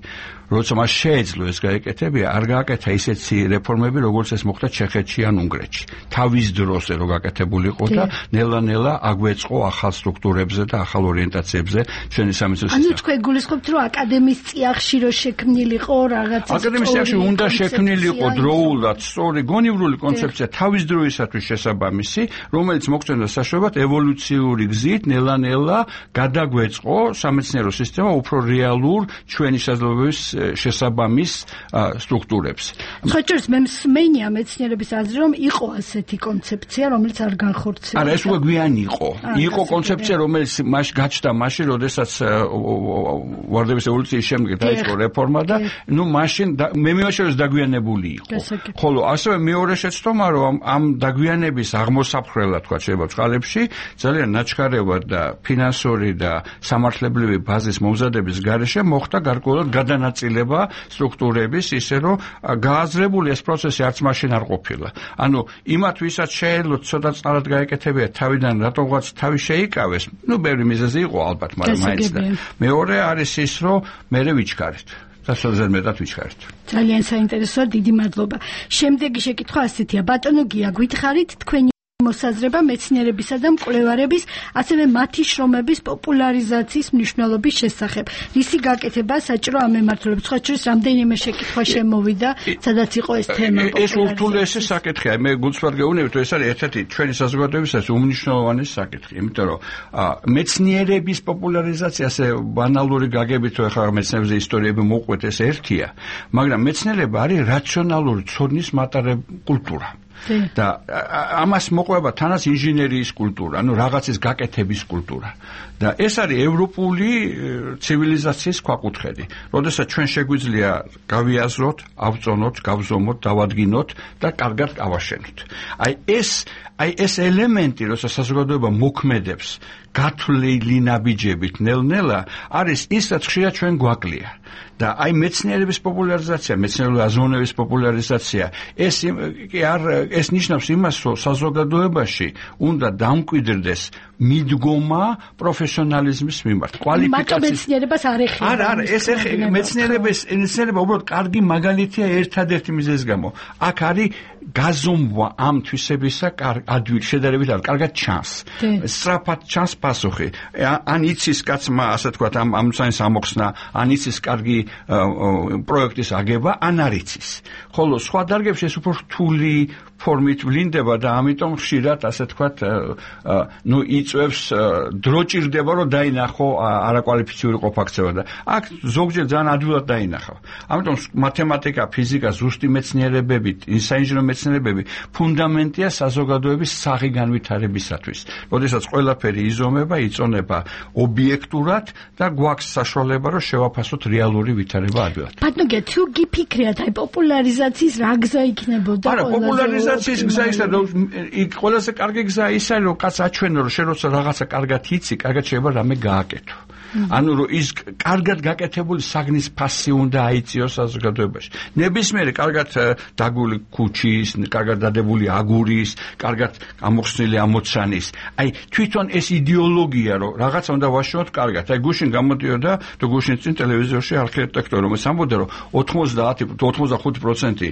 როცა მას შეეძლო ეს გაეკეთებია, არ გააკეთა ისეთი რეფორმები, როგორც ეს მოხდა ჩეხეთში ან უნგრეთში. თავის დროს რო გაკეთებულიყო და ნელა-ნელა აგვეწყო ახალ სტრუქტურებზე და ახალ ორიენტაციებზე ჩვენი სამეცნიერო სისტემა. ანუ თქვენ გულისხმობთ, რომ აკადემიის წიაღში რო შექმნილიყო რაღაცა აკადემიის წიაღში უნდა შექმნილიყო დროულად სწორი გონივრული კონცეფცია თავის დროისათვის შესაბამისი, რომელიც მოგწონდა საშუალებას ევოლუციური გზით ნელა-ნელა გადაგვეწყო სამეცნიერო სისტემა უფრო რეალურ ჩვენი საზოგადოების შესაბამის სტრუქტურებს. ხოჭორს მე მსმენია მეცნიერების აზრი, რომ იყო ასეთი კონცეფცია, რომელიც არ განხორციელდა. არა, ეს უკვე გვიანი იყო. იყო კონცეფცია, რომელიც მას გაჩნდა მაშინ, როდესაც ვარდების ევოლუციის შემდეგ დაიწყო რეფორმა და ნუ მაშინ მე მივაშორე ეს დაგვიანებული იყო. ხოლო ასევე მეორე შეცდომა, რომ ამ დაგვიანების აღმოსაფხრელად, თქვა შეიძლება წყალებში, ძალიან ნაჩქარევად და ფინანსური და სამართლებრივი ბაზის მომზადების გარეშე მოხდა გარკვეულად გადანაწილება სტრუქტურების, ისე რომ გააზრებული ეს პროცესი არც მაშინ არ ყოფილა. ანუ იმათ ვისაც შეეძლო ცოტა წყალად გაეკეთებია თავიდან რატოღაც თავი შეიკავეს, ნუ ბევრი მიზეზი იყო ალბათ, მაგრამ მაინც და მეორე არის ის, რომ მერე ვიჩქარით და სულზედ მეტად ვიჩქარით. ძალიან საინტერესოა, დიდი მადლობა. შემდეგი შეკითხვა ასეთია, ბატონო გია, გითხარით თქვენი მოსაზრება მეცნიერებისა და მკვლევარების, ასევე მათი შრომების პოპულარიზაციის მნიშვნელობის შესახებ. რისი გაკეთება საჭირო ამ მემართულებით? სხვა შორის რამდენიმე შეკითხვა შემოვიდა, სადაც იყო ეს თემა. ეს ურთულესი საკითხია. მე გულწრფელად გეუბნებით, რომ ეს არის ერთ-ერთი ჩვენი საზოგადოებისათვის უმნიშვნელოვანესი საკითხი, იმიტომ რომ მეცნიერების პოპულარიზაცია, ასე ბანალური გაგებით, რომ ახლა მეცნიერების ისტორიები მოყვეთ, ეს ერთია, მაგრამ მეცნიერება არის რაციონალური ცოდნის მატარებელი კულტურა. და ამას მოყვება თანაც ინჟინერიის კულტურა, ანუ რაღაცის გაკეთების კულტურა. და ეს არის ევროპული ცივილიზაციის ქვაკუთხედი. როდესაც ჩვენ შეგვიძლია გავიაზროთ, ავწონოთ, გავზომოთ, დავადგინოთ და კარგად გავაშენოთ. აი ეს აი ეს ელემენტი, როცა საზოგადოება მოქმედებს გათვლილი ნაბიჯებით ნელ-ნელა, არის ის, რაც ხშირად ჩვენ გვაკლია. და აი მეცნიერების პოპულარიზაცია, მეცნიერული აზროვნების პოპულარიზაცია, ეს კი არ ეს ნიშნავს იმას, რომ საზოგადოებაში უნდა დამკვიდრდეს მიდგომა პროფესიონალიზმის მიმართ, კვალიფიკაციის. მეცნიერებას არ ეხება. არა, არა, ეს ეხება მეცნიერების, მეცნიერება უბრალოდ კარგი მაგალითია ერთადერთი მიზეზის გამო. აქ არის გაზომვა ამ თვისებისა ადვილ შედარებით არ კარგად ჩანს. სწრაფად ჩანს პასუხი. ან იცის კაცმა, ასე თქვათ, ამ ამ საინს ამოხსნა, ან იცის კარგი პროექტის აგება, ან არ იცის. ხოლო სხვა დარგებში ეს უფრო რთული, ფორმით ვლინდება და ამიტომ ხშირად ასე თქვათ ნუ იწევს დრო ჭირდება რომ დაინახო არაკვალიფიციური ყოფაქცევა და აქ ზოგჯერ ძალიან ადვილად დაინახავ. ამიტომ მათემატიკა, ფიზიკა, ზუსტი მეცნიერებები, საინჟინრო მეცნიერებები ფუნდამენტია საზოგადოების საღი განვითარებისათვის. როდესაც ყველაფერი იზომება, იწონება ობიექტურად და გვაქვს საშუალება რომ შევაფასოთ რეალური ვითარება ადვილად. ბატონო, თუ გიფიქრიათ აი პოპულარიზაციის რა გზა იქნებოდა? არა, პოპულარიზაციის გზა ისა რომ იქ ყველაზე კარგი გზა ისა რომ კაც აჩვენო რომ შენ როცა რაღაცა კარგად იცი, კარგად შეიძლება რამე გააკეთო. ანუ რომ ის კარგად გაკეთებული საგნის ფასი უნდა აიწიოს საზოგადოებაში. ნებისმიერი კარგად დაგული ქუჩის, კარგად დადებული აგურის, კარგად ამოხსნილი ამოცანის. აი თვითონ ეს იდეოლოგია რომ რაღაცა უნდა ვაშუქოთ კარგად. აი გუშინ გამოდიოდა და გუშინ წინ ტელევიზორში არქიტექტორი რომელიც ამბობდა რომ ოთხმოცდაათი ოცდახუთი პროცენტი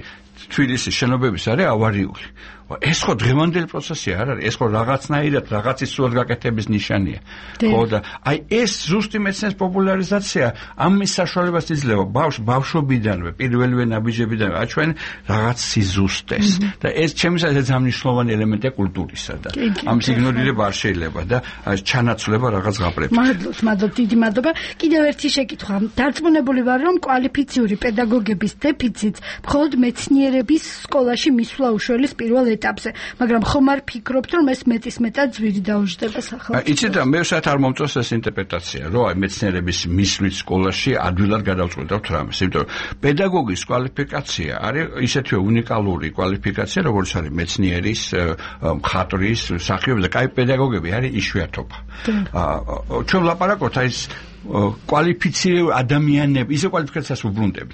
თბილისის შენობების არის ავარიული. ეს ხო დღევანდელი პროცესი არ არის, ეს ხო რაღაცნაირად რაღაცის სრულად გაკეთების ნიშანია. ხო და აი ეს ზუსტი მეცნიერების პოპულარიზაცია ამის საშუალებას იძლევა ბავშვ ბავშვობიდანვე, პირველივე ნაბიჯებიდანვე აჩვენ რაღაც სიზუსტეს და ეს ჩემთვის ძალიან მნიშვნელოვანი ელემენტია კულტურისა და ამის იგნორირება არ შეიძლება და ჩანაცვლება რაღაც ღაბრებში. მადლობთ, მადლობთ, დიდი მადლობა. კიდევ ერთი შეკითხვა. დარწმუნებული ვარ, რომ კვალიფიციური პედაგოგების დეფიციტს მხოლოდ მეცნიერების სკოლაში მისვლა უშველის პირველ ეტაპზე, მაგრამ ხომ არ ფიქრობთ, რომ ეს მეტის მეტად ძვირი დაუჯდება სახელმწიფოს? იცით რა, მე ვსად არ მომწონს ეს ინტერპრეტაცია, რომ აი მეცნიერების მისვლით სკოლაში ადვილად გადავწყვეტავთ რამეს, იმიტომ რომ პედაგოგის კვალიფიკაცია არის ისეთივე უნიკალური კვალიფიკაცია, როგორც არის მეცნიერის, მხატვრის, მსახიობის და კაი პედაგოგები არის იშვიათობა. ჩვენ ვლაპარაკობთ აი ეს კვალიფიცირებული ადამიანები, ისე კვალიფიკაციას ვუბრუნდებით.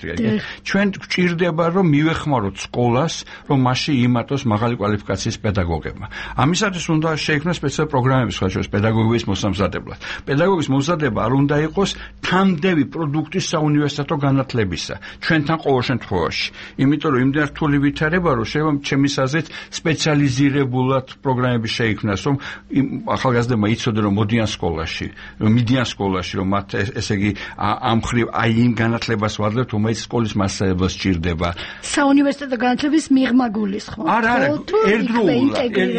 ჩვენ გვჭირდება რომ მივეხმაროთ სკოლას, რომ მასში იმატოს მაღალი კვალიფიკაციის პედაგოგებმა. ამისათვის უნდა შეიქმნას სპეციალური პროგრამები სხვა შორის პედაგოგების მოსამზადებლად. პედაგოგის მოსამზადება არ უნდა იყოს თამდევი პროდუქტის საუნივერსიტეტო განათლებისა. ჩვენთან ყოველ შემთხვევაში. იმიტომ რომ იმდენ რთული ვითარება რომ შეიძლება ჩემის აზრით სპეციალიზირებულად პროგრამები შეიქმნას, რომ ახალგაზრდებმა იცოდე რომ მოდიან სკოლაში, რომ მიდიან სკოლაში, რომ ესე იგი ამ ხრივ აი იმ განათლებას ვადლებთ, რომელიც სკოლის მასწავლებლად სჭირდება. საუნივერსიტეტო განათლების მიღმა გულისხმობ. არა, არა, ერთდროულად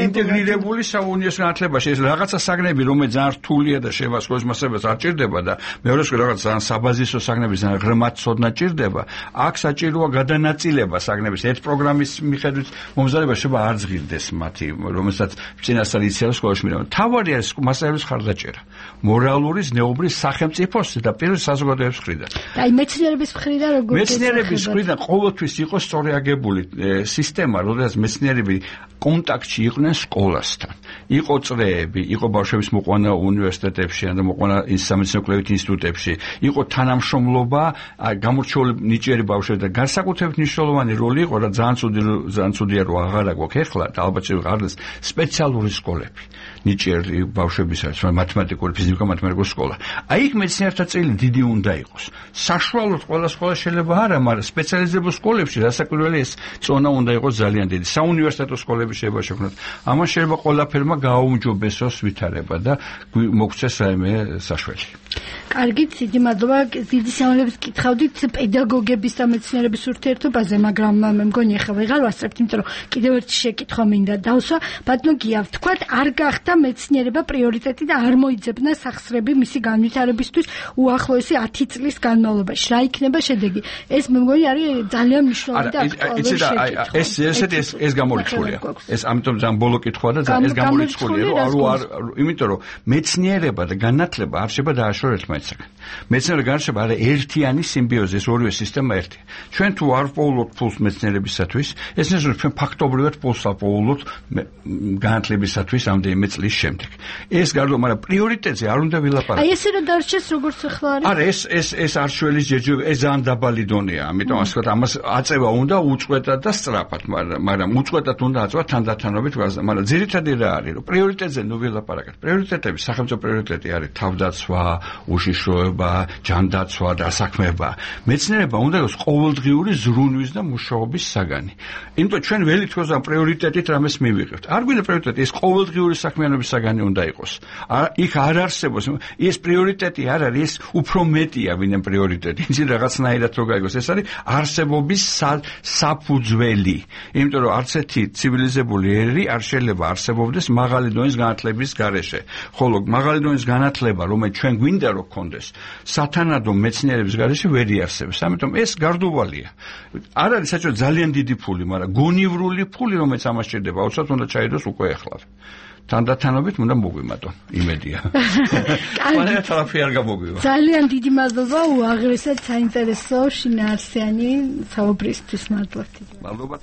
ინტეგრირებული საუნივერსიტეტო განათლებაში ეს რაღაცა საგნები, რომელიც ძალიან რთულია და შეიძლება სკოლის მასწავლებლად არ ჭირდება და მეორე სხვა რაღაც ძალიან საბაზისო საგნები, ძალიან ღრმად ცოდნა ჭირდება. აქ საჭიროა გადანაწილება საგნების. ერთ პროგრამის მიხედვით მომზადება შეიძლება არ ზღირდეს მათი, რომელსაც წინასწარ იციან სკოლაში მიდიან. თავარი არის მასწავლებლის ხარდაჭერა. მორალური, ზნეობრივი სახელმწიფოს და პირველ საზოგადოების მხრიდან. და აი მეცნიერების მხრიდან როგორ მეცნიერების მხრიდან ყოველთვის იყო სწორი აგებული სისტემა, როდესაც მეცნიერები კონტაქტში იყვნენ სკოლასთან. იყო წრეები, იყო ბავშვების მოყვანა უნივერსიტეტებში და მოყვანა სამეცნიერო-კვლევით ინსტიტუტებში, იყო თანამშრომლობა გამორჩეული ნიჭიერი ბავშვები და განსაკუთრებით მნიშვნელოვანი როლი იყო და ძალიან ცუდი ძალიან ცუდია რომ აღარა გვაქვს ახლა და ალბათ შეგვიყვარდეს სპეციალური სკოლები. ნიჭიერი ბავშვებისაც, მათემატიკური, ფიზიკა-მათემატიკური სკოლა. აი იქ მეცნიერთა წილი დიდი უნდა იყოს. საშუალოდ ყველა სკოლა შეიძლება არა, მაგრამ სპეციალიზებულ სკოლებში რასაკვირველი ეს წონა უნდა იყოს ძალიან დიდი. საუნივერსიტეტო სკოლები შეიძლება შექმნათ. ამან შეიძლება ყველაფერმა გააუმჯობესოს ვითარება და მოგცეს რაიმე საშველი. კარგი, დიდი მადლობა. დიდი სამალებს გითხავდით პედაგოგების და მეცნიერების ურთიერთობაზე, მაგრამ მე მგონი ახლა ვეღარ ვასწრებთ, იმიტომ რომ კიდევ ერთი შეკითხვა მინდა დავსვა. ბატონო გია, ვთქვათ, არ გახდა მეცნიერება პრიორიტეტი და არ მოიძებნა სახსრები მისი განვითარებისთვის უახლოესი ათი წლის განმავლობაში. რა იქნება შედეგი? ეს მე მგონი არის ძალიან მნიშვნელოვანი და აქტუალური შეკითხვა. ეს ესეთი ეს ეს გამორიცხულია. ეს ამიტომ ძალიან ბოლო კითხვა და ეს გამორიცხულია, რომ არ იმიტომ რომ მეცნიერება და განათლება არ შეიძლება დააშოროს ერთმანეთსაგან. მეცნიერება და განათლება არის ერთიანი სიმბიოზი, ეს ორივე სისტემა ერთია. ჩვენ თუ არ პოულობთ ფულს მეცნიერებისათვის, ეს ნიშნავს ჩვენ ფაქტობრივად ფულს ავპოულობთ განათლებისათვის ამდენიმე წლის შემდეგ. ეს გარდა, მაგრამ პრიორიტეტზე არ უნდა ვილაპარაკოთ. აი ესე რა დარჩეს როგორც ახლა არის? არა, ეს ეს ეს არჩევის ჯერჯერობით ეს ძალიან დაბალი დონეა, ამიტომ ასე ვთქვათ, ამას აწევა უნდა უწყვეტად და სწრაფად, მაგრამ მაგრამ უწყვეტად უნდა აწევა თანდათანობით, მაგრამ ძირითადი რა არის, რომ პრიორიტეტზე ნუ ვილაპარაკოთ. პრიორიტეტები, სახელმწიფო პრიორიტეტი არის თავდაცვა, საშიშროება, ჯანდაცვა და საქმეება. მეცნიერება უნდა იყოს ყოველდღიური ზრუნვის და მუშაობის საგანი. იმიტომ ჩვენ ველი თქოს ამ პრიორიტეტით რამეს მივიღებთ. არ გვინდა პრიორიტეტი, ეს ყოველდღიური საქმიანობის საგანი უნდა იყოს. იქ არ არსებობს ეს პრიორიტეტი არ არის, ეს უფრო მეტია ვინმე პრიორიტეტი. იცი რაღაცნაირად რო გაიგოს, ეს არის არსებობის საფუძველი. იმიტომ რომ არც ერთი ცივილიზებული ერი არ შეიძლება არსებობდეს მაღალი დონის განათლების გარეშე. ხოლო მაღალი დონის განათლება, რომელიც ჩვენ გვინდა რომ გქონდეს, სათანადო მეცნიერების გარეშე ვერ იარსებებს. ამიტომ ეს გარდუვალია. არ არის საჭირო ძალიან დიდი ფული, მაგრამ გონივრული ფული, რომელიც ამას სჭირდება, აუცილებლად უნდა ჩაიდოს უკვე ახლა. თანდათანობით უნდა მოგვიმატო, იმედია. ყველა თალაფი არ გამოგვივა. ძალიან დიდი მადლობა უაღრესად საინტერესო შინაარსიანი საუბრისთვის მადლობთ. მადლობთ.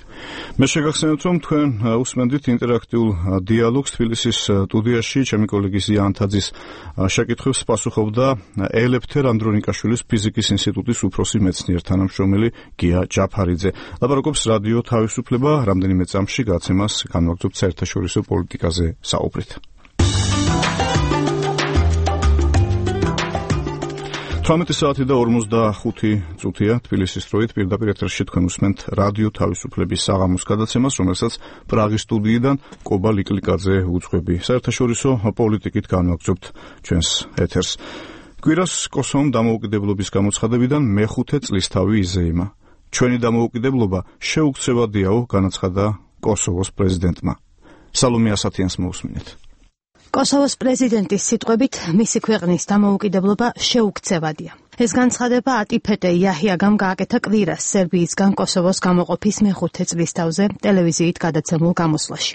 მე შეგახსენებთ, რომ თქვენ უსმენდით ინტერაქტიულ დიალოგს თბილისის სტუდიაში, ჩემი კოლეგი ზიან თაძის შეკითხვებს პასუხობდა ელეფთერ ანდრონიკაშვილის ფიზიკის ინსტიტუტის უფროსი მეცნიერ თანამშრომელი გია ჯაფარიძე. ლაპარაკობს რადიო თავისუფლება, რამდენიმე წამში გაცემას განვაგრძობთ საერთაშორისო პოლიტიკაზე საუბრით. თვრამეტი საათი და ორმოცდახუთი წუთია თბილისის დროით პირდაპირ ეთერში თქვენ უსმენთ რადიო თავისუფლების საღამოს გადაცემას, რომელსაც პრაღის სტუდიიდან კობა ლიკლიკაძე უძღვები. საერთაშორისო პოლიტიკით განვაგრძობთ ჩვენს ეთერს. კვირას კოსოვომ დამოუკიდებლობის გამოცხადებიდან მეხუთე წლისთავი იზეიმა. ჩვენი დამოუკიდებლობა შეუქცევადიაო, განაცხადა კოსოვოს პრეზიდენტმა. სალომე ასათიანს მოусმინეთ. კოსოვოს პრეზიდენტის სიტყვებით მისი ქვეყნის დამოუკიდებლობა შეუქცევადია. ეს განცხადება ატიფეტე იაჰიაგამ გააკეთა კვირას სერბიისგან კოსოვოს გამოყოფის მეხუთე წლისთავზე ტელევიზიით გადაცემულ გამოსვლაში.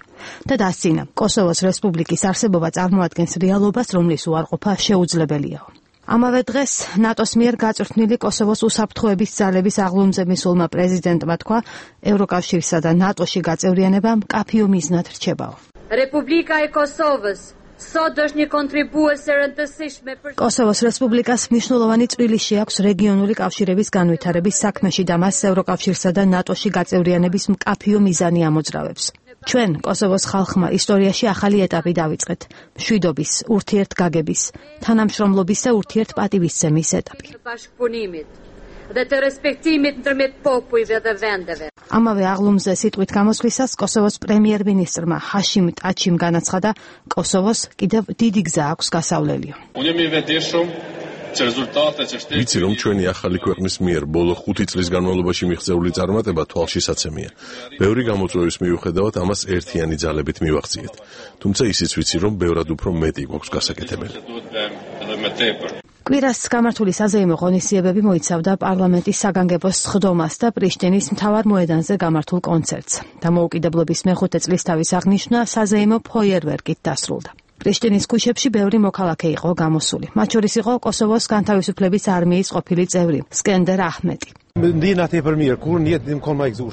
და დასცინა, კოსოვოს რესპუბლიკის არსებობა წარმოადგენს რეალობას, რომლის უარყოფა შეუძლებელიაო. ამავე დღეს ნატოს მიერ გაწვრთნილი კოსოვოს უსაფრთხოების ძალების აღლუმზე მისულმა პრეზიდენტმა თქვა, ევროკავშირსა და ნატოში გაწევრიანება მკაფიო მიზნად რჩებაო. Republika e Kosovës sot është një kontribues e rëndësishme për კოსოვოს რესპუბლიკას მნიშვნელოვანი წვლილი აქვს რეგიონული კავშირების განვითარების საქმეში და მას ევროკავშირსა და ნატოში გაწევრიანების მკაფიო მიზანი ამოძრავებს. ჩვენ კოსოვოს ხალხმა ისტორიაში ახალი ეტაპი დავიწყეთ, მშვიდობის, ურთიერთგაგების, თანამშრომლობის და ურთიერთპატივისცემის ეტაპი. dhe të respektimit ndërmjet popujve dhe vendeve. ამავე აღლუმზე სიტყვით გამოსვლისას კოსოვოს პრემიერ-მინისტრმა ჰაშიმ ტაჩიმ განაცხადა, კოსოვოს კიდევ დიდი გზა აქვს გასავლელიო. ვიცი, რომ ჩვენი ახალი ქვეყნის მიერ ბოლო ხუთი წლის განმავლობაში მიღწეული წარმატება თვალშისაცემია. ბევრი გამოწვევის მიუხედავად ამას ერთიანი ძალებით მივახციეთ. თუმცა ისიც ვიცი, რომ ბევრად უფრო მეტი გვაქვს გასაკეთებელი. კვირას გამართული საზეიმო ღონისძიებები მოიცავდა პარლამენტის საგანგებო სხდომას და პრიშტინის მთავარ მოედანზე გამართულ კონცერტს. დამოუკიდებლობის მეხუთე წლისთავის აღნიშვნა საზეიმო ფოიერვერკით დასრულდა. პრიშტინის ქუჩებში ბევრი მოქალაქე იყო გამოსული. მათ შორის იყო კოსოვოს განთავისუფლების არმიის ყოფილი წევრი სკენდერ აჰმეტი.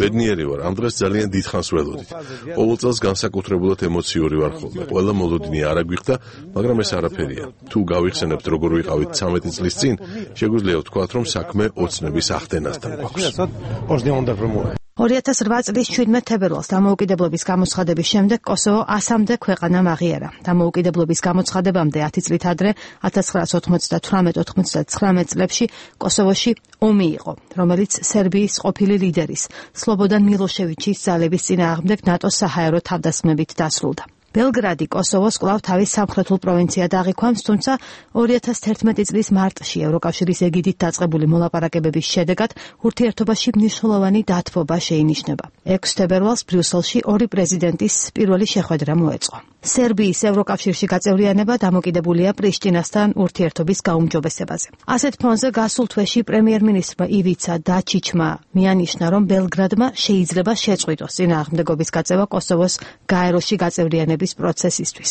ბედნიერი ვარ, ამ დღეს ძალიან დიდხანს ველოდით. ყოველ წელს განსაკუთრებულად ემოციური ვარ ხოლმე. ყველა მოლოდინი არ აგვიხდა, მაგრამ ეს არაფერია. თუ გავიხსენებთ როგორ ვიყავით ცამეტი წლის წინ, შეგვიძლია ვთქვათ, რომ საქმე ოცნების ახდენასთან გვაქვს. ორი ათას რვა წლის შვიდმეტ თებერვალს დამოუკიდებლობის გამოცხადების შემდეგ კოსოვო ასამდე ქვეყანამ აღიარა. დამოუკიდებლობის გამოცხადებამდე ათი წლით ადრე ათას ცხრაასი ოცდათვრამეტ ოცდათვრამეტ წლებში კოსოვოში ომი იყო, რომელიც სერბიის ყოფილი ლიდერის სლობოდან მილოშევიჩის ძალების წინააღმდეგ ნატოს საჰაერო თავდასხმებით დასრულდა. ბელგრადი კოსოვოს კვლავ თავის სამხრეთულ პროვინციად აღიქვამს, თუმცა ორი ათას თერთმეტი წლის მარტში ევროკავშირის ეგიდით დაწყებული მოლაპარაკებების შედეგად ურთიერთობაში მნიშვნელოვანი დათბობა შეინიშნება. ექვსი თებერვალს ბრიუსელში ორი პრეზიდენტის პირველი შეხვედრა მოეწყო. სერბიის ევროკავშირში გაწევრიანება დამოკიდებულია პრიშტინასთან ურთიერთობის გაუმჯობესებაზე. ასეთ ფონზე გასულ თვეში პრემიერ-მინისტრმა ივიცა დაჩიჩმა მიანიშნა, რომ ბელგრადმა შეიძლება შეწყვიტოს წინააღმდეგობის გაწევა კოსოვოს გაეროში გაწევრიანების პროცესისთვის.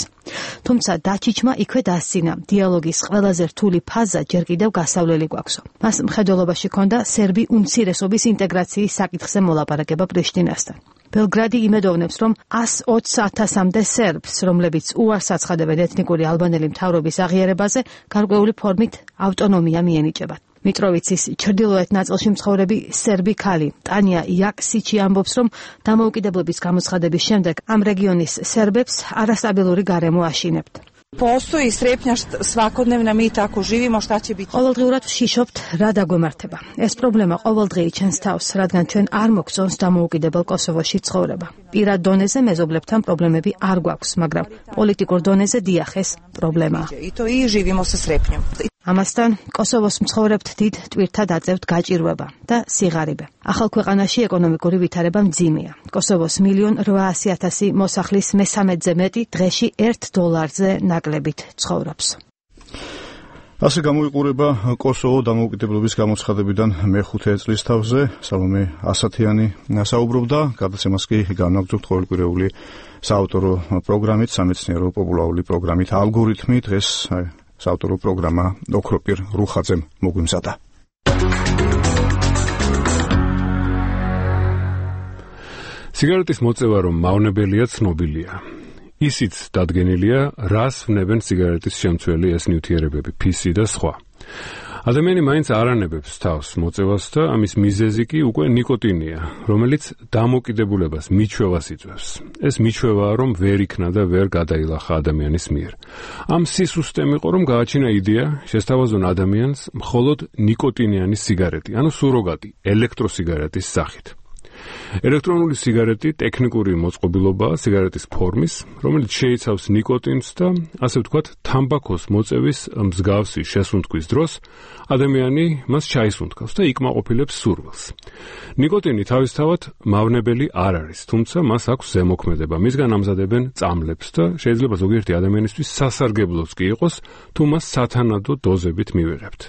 თუმცა დაჩიჩმა იქვე დასცინა, დიალოგის ყველაზე რთული ფაზა ჯერ კიდევ გასავლელი გვაქვსო. მას მხედველობაში ჰქონდა სერბი უმცირესობის ინტეგრაციის საკითხზე მოლაპარაკება პრიშტინასთან. ბელგრადი იმედოვნებს, რომ ასი ოცი ათასამდე სერბს, რომლებიც უარს აცხადებენ ეთნიკური ალბანელი მთავრობის აღიარებაზე, გარკვეული ფორმით ავტონომია მიენიჭებათ. მიტროვიცის ჩრდილოეთ ნაწილში მცხოვრები სერბი ქალი ტანია იაქსიჩი ამბობს, რომ დამოუკიდებლობის გამოცხადების შემდეგ ამ რეგიონის სერბებს არასტაბილური გარემო აშინებთ. Postoji strepnja svakodnevna, mi tako živimo, šta će biti? ყოველდღიურად ვშიშობთ, რა დაგვემართება. ეს პრობლემა ყოველდღიურად ჩვენს თავს, რადგან ჩვენ არ მოგწონს დამოუკიდებელ კოსოვოში ცხოვრება. პირად დონეზე მეზობლებთან პრობლემები არ გვაქვს, მაგრამ პოლიტიკურ დონეზე დიახ, ეს პრობლემაა. I to i živimo sa strepnjom. ამასთან კოსოვოს მცხოვრებთ დიდ ტვირთად აწევთ გაჭირვება და სიღარიბე. ახალ ქვეყანაში ეკონომიკური ვითარება მძიმეა. კოსოვოს მილიონ რვაასი ათასი მოსახლის მესამედზე მეტი დღეში ერთ დოლარზე ნაკლებით ცხოვრობს. ასე გამოიყურება კოსოვო დამოუკიდებლობის გამოცხადებიდან მეხუთე წლის თავზე. სალომე ასათიანი საუბრობდა, გადაცემას კი განაგრძობთ ყოველკვირეული საავტორო პროგრამით, სამეცნიერო პოპულარული პროგრამით ალგორითმი. დღეს საავტორო პროგრამა ოქროპირ რუხაძემ მოგვიმზადა. სიგარეტის მოწევა რომ მავნებელია ცნობილია. ისიც დადგენილია, რას ვნებენ სიგარეტის შემცველი ეს ნივთიერებები, ფისი და სხვა. ადამიანი მაინც არ ანებებს თავს მოწევას და ამის მიზეზი კი უკვე ნიკოტინია, რომელიც დამოკიდებულებას, მიჩვევას იწვევს. ეს მიჩვევაა, რომ ვერ იქნა და ვერ გადაილახა ადამიანის მიერ. ამ სისუსტემ იყო, რომ გააჩინა იდეა, შესთავაზონ ადამიანს მხოლოდ ნიკოტინიანი სიგარეტი, ანუ სუროგატი, ელექტროსიგარეტის სახით. ელექტრონული სიგარეტი ტექნიკური მოწყობილობაა სიგარეტის ფორმის, რომელიც შეიცავს ნიკოტინს და ასე ვთქვათ, თამბაქოს მოწევის მსგავსი შესუნთქვის დროს ადამიანი მას ჩაისუნთქავს და იკმაყოფილებს სურვილს. ნიკოტინი თავისთავად მავნებელი არ არის, თუმცა მას აქვს ზემოქმედება. მისგან ამზადებენ წამლებს და შეიძლება ზოგიერთი ადამიანისთვის სასარგებლოც კი იყოს, თუ მას სათანადო დოზებით მივიღებთ.